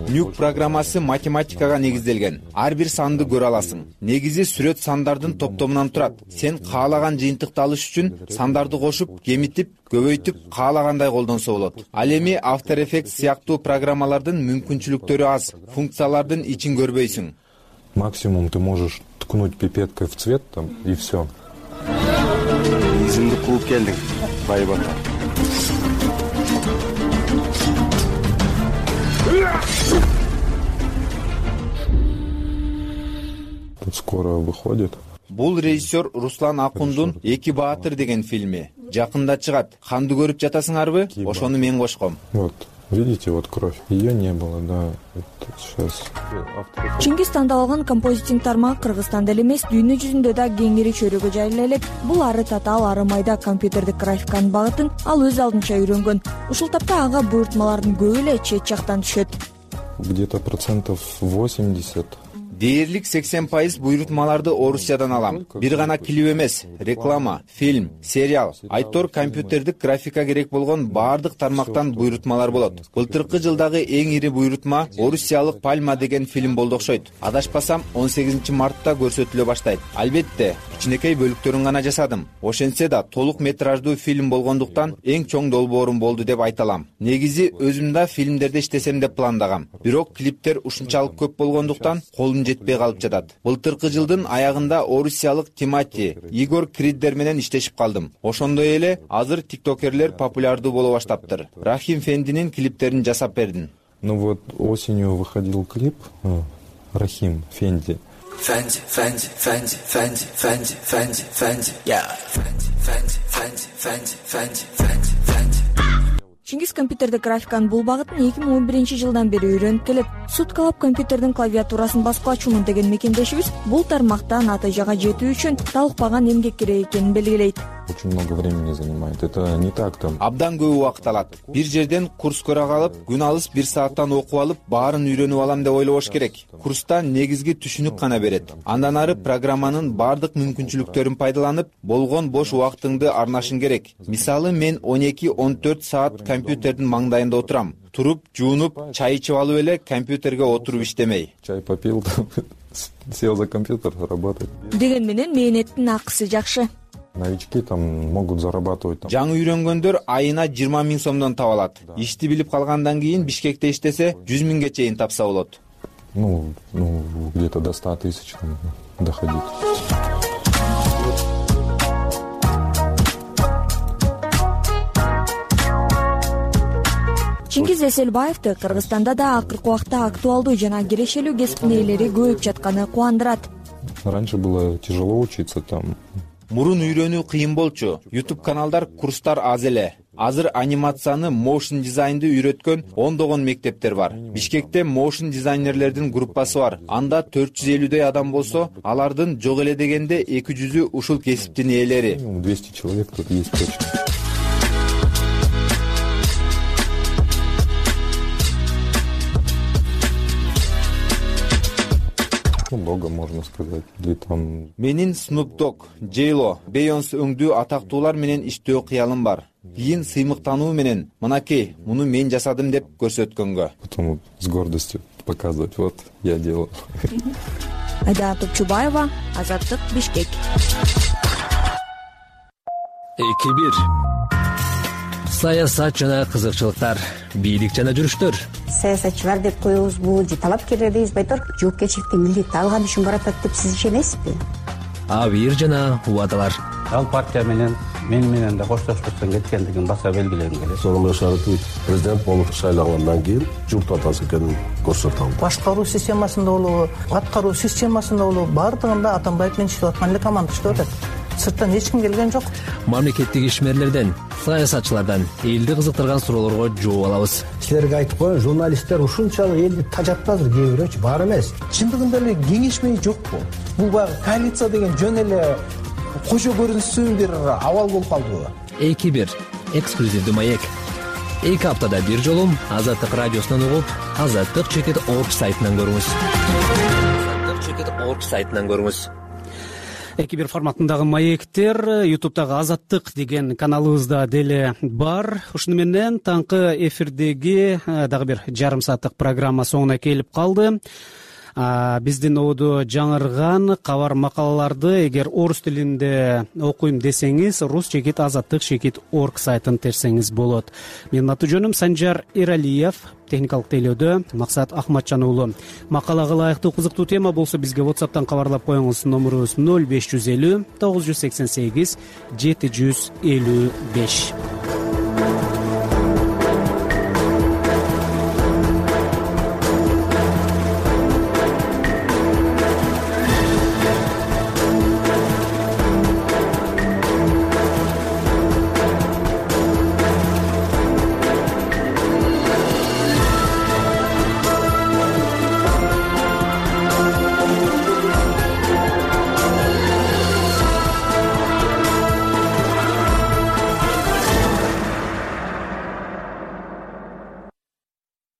Нюк программасы математикага негизделген. Ар бир санды көрө аласың. Негизи сүрөт сандардын топтомунан турат. Сен каалаган жыйынтыкты алыш үчүн сандарды кошуп, кемитип, көбөйтүп, каалагандай колдонсо болот. Ал эми After Effects сыяктуу программалардын мүмкүнчүлүктөрү аз, функциялардын ичин көрбөйсүң. Максимум ты можешь ткнуть пипеткой в цвет там и все. Изимди кууп келдиң, байбата. Тут скоро выходит. Бул режиссер Руслан Акундун «Эки баатыр» деген фильми. Жакында чыгат. Канды көрүп жатасыңарбы? Ошону мен кошком. Вот, видите, вот кровь. Ее не было, да. Сейчас. Чингиз тандап алган композитинг тармагы Кыргызстанда эле эмес, дүйнө жүзүндө да кеңири чөйрөгө жайыла элек. Бул ары татаал, ары майда компьютердик графиканын багытын ал өз алдынча үйрөнгөн. Ушул тапта ага буйртмалардын көбү эле чет жактан түшөт. Где-то 80%. Дээрлик 80% буйрутмаларды Орусиядан алам. Бир гана клип эмес, реклама, фильм, сериал, айтор компьютердик графика керек болгон баардык тармактан буйрутмалар болот. Былтыркы жылдагы эң ири буйрутма Орусиялык Пальма деген фильм болду окшойт. Адашпасам 18 мартта көрсөтүлө баштайт. Албетте, кичинекей бөлүктөрүн гана жасадым. Ошентсе да толук метраждуу фильм болгондуктан эң чоң долбоорум болду деп айта алам. Негизи өзүм да фильмдерде иштесем деп пландагам. Бирок клиптер ушунчалык көп болгондуктан колум жетпей калып жатат. Былтыркы жылдын аягында орусиялык Тимати, Игор Криддер менен иштешип калдым. Ошондой эле азыр тиктокерлер популярдуу боло баштаптыр. Рахим Фендинин клиптерин жасап бердим. Ну вот осенью выходил клип Рахим Фенди. Фенди, Фенди, Фенди, Фенди, Фенди, Фенди, Фенди, я. Фенди, Фенди, Фенди, Фенди, Фенди, Фенди, Фенди. Чингиз компьютердик графиканын бул багытын 2011 жылдан бери үйрөнүп келет. Суткалап компьютердин клавиатурасын баскылачумун деген мекендешибиз бул тармакта натыйжага жетүү үчүн талыкпаган эмгек керек экенин белгилейт. Очень много времени занимает. Это не так там. Абдан көп убакыт алат. Бир жерден курс көрө калып, күн алыс 1 сааттан окуп алып, баарын үйрөнүп алам деп ойлобош керек. Курста негизги түшүнүк гана берет. Андан ары программанын баардык мүмкүнчүлүктөрүн пайдаланып, болгон бош убактыңды арнашың керек. Мисалы мен 12-14 саат компьютердин маңдайында отурам. Туруп, жуунуп, чай ичип алып эле компьютерге отуруп иштемей. Чай попил, сел за компьютер, работать. Деген менен мээнеттин акысы жакшы. Новички там могут зарабатывать. Жаңы үйрөнгөндөр айына 20 000 сомдон таба алат. Ишти билип калгандан кийин Бишкекте иштесе 100 000ге чейин тапса болот. Ну, где-то до 100 000 доходить. Чингиз Эселбаевди Кыргызстанда да акыркы убакта актуалдуу жана кирешелүү кесиптин ээлери көбөйүп жатканы кубандырат. Раньше было тяжело учиться там. Мурун үйрөнүү кыйын болчу. YouTube каналдар, курстар аз эле. Азыр анимацияны, motion дизайнды үйрөткөн ондогон мектептер бар. Бишкекте motion дизайнерлердин группасы бар. Анда 450 адам болсо, алардын жок эле дегенде 200 ушул кесиптин ээлери. 200 человек тут есть точно. Много, можно сказать, или там. Менин Snoop Dogg, J-Lo, Beyoncé өңдүү атактуулар менен иштөө кыялым бар. Кийин сыймыктануу менен мынакей, муну мен жасадым деп көрсөткөнгө. Потом с гордостью показывать, вот я делал. Айдана Топчубаева, Азаттык, Бишкек. 2-1. Саясат жана кызыкчылыктар, бийлик жана жүрүштөр. Саясатчылар деп коебузбу же талапкерлер дейбизби айтор, жоопкерчиликти милдетти алган үчүн баратат деп сиз ишенесизби? Абийир жана убадалар. Ал партия менен менен да коштошпостон кеткендигин баса белгилегим келет. Сооронбай Шарипович президент болуп шайлангандан кийин журт атасы экенин көрсөтө алды. Башкаруу системасында болобу, аткаруу системасында болобу, баардыгында Атамбаев менен иштеп аткан эле команда иштеп атат. Сырттан эч ким келген жок. Мамлекеттик ишмерлерден, саясатчылардан элди кызыктырган суроолорго жооп алабыз. Силерге айтып коеюн, журналисттер ушунчалык элди тажатпазыр, кээ бирөөчү бар эмес. Чындыгында эле кеңешмей жокпу? Бул баягы коалиция деген жөн эле кошо көрүнүшсүн бир абал болуп калдыбы? 2-1 эксклюзивдүү маек. 2 аптада бир жолу Азаттык радиосунан угуп, Azattik.org сайтынан көрүңүз. Azattik.org сайтынан көрүңүз. эки бир форматындагы маектер ютубтагы Азаттык деген каналыбызда деле бар. Ушуну менен таңкы эфирдеги дагы бир жарым сааттык программа соңуна келип калды. Биздин обуду жаңырган кабар макалаларды эгер орус тилинде окуйм десеңиз rus-azattik.org сайтын терсеңиз болот. Менин аты жөнүм Санжар Эралиев, техникалык тейлөөдө Максат Ахматжан уулу. Макалага ылайыктуу кызыктуу тема болсо бизге WhatsApp'тан кабарлап коюңуз. Номерубуз 0550 988 755.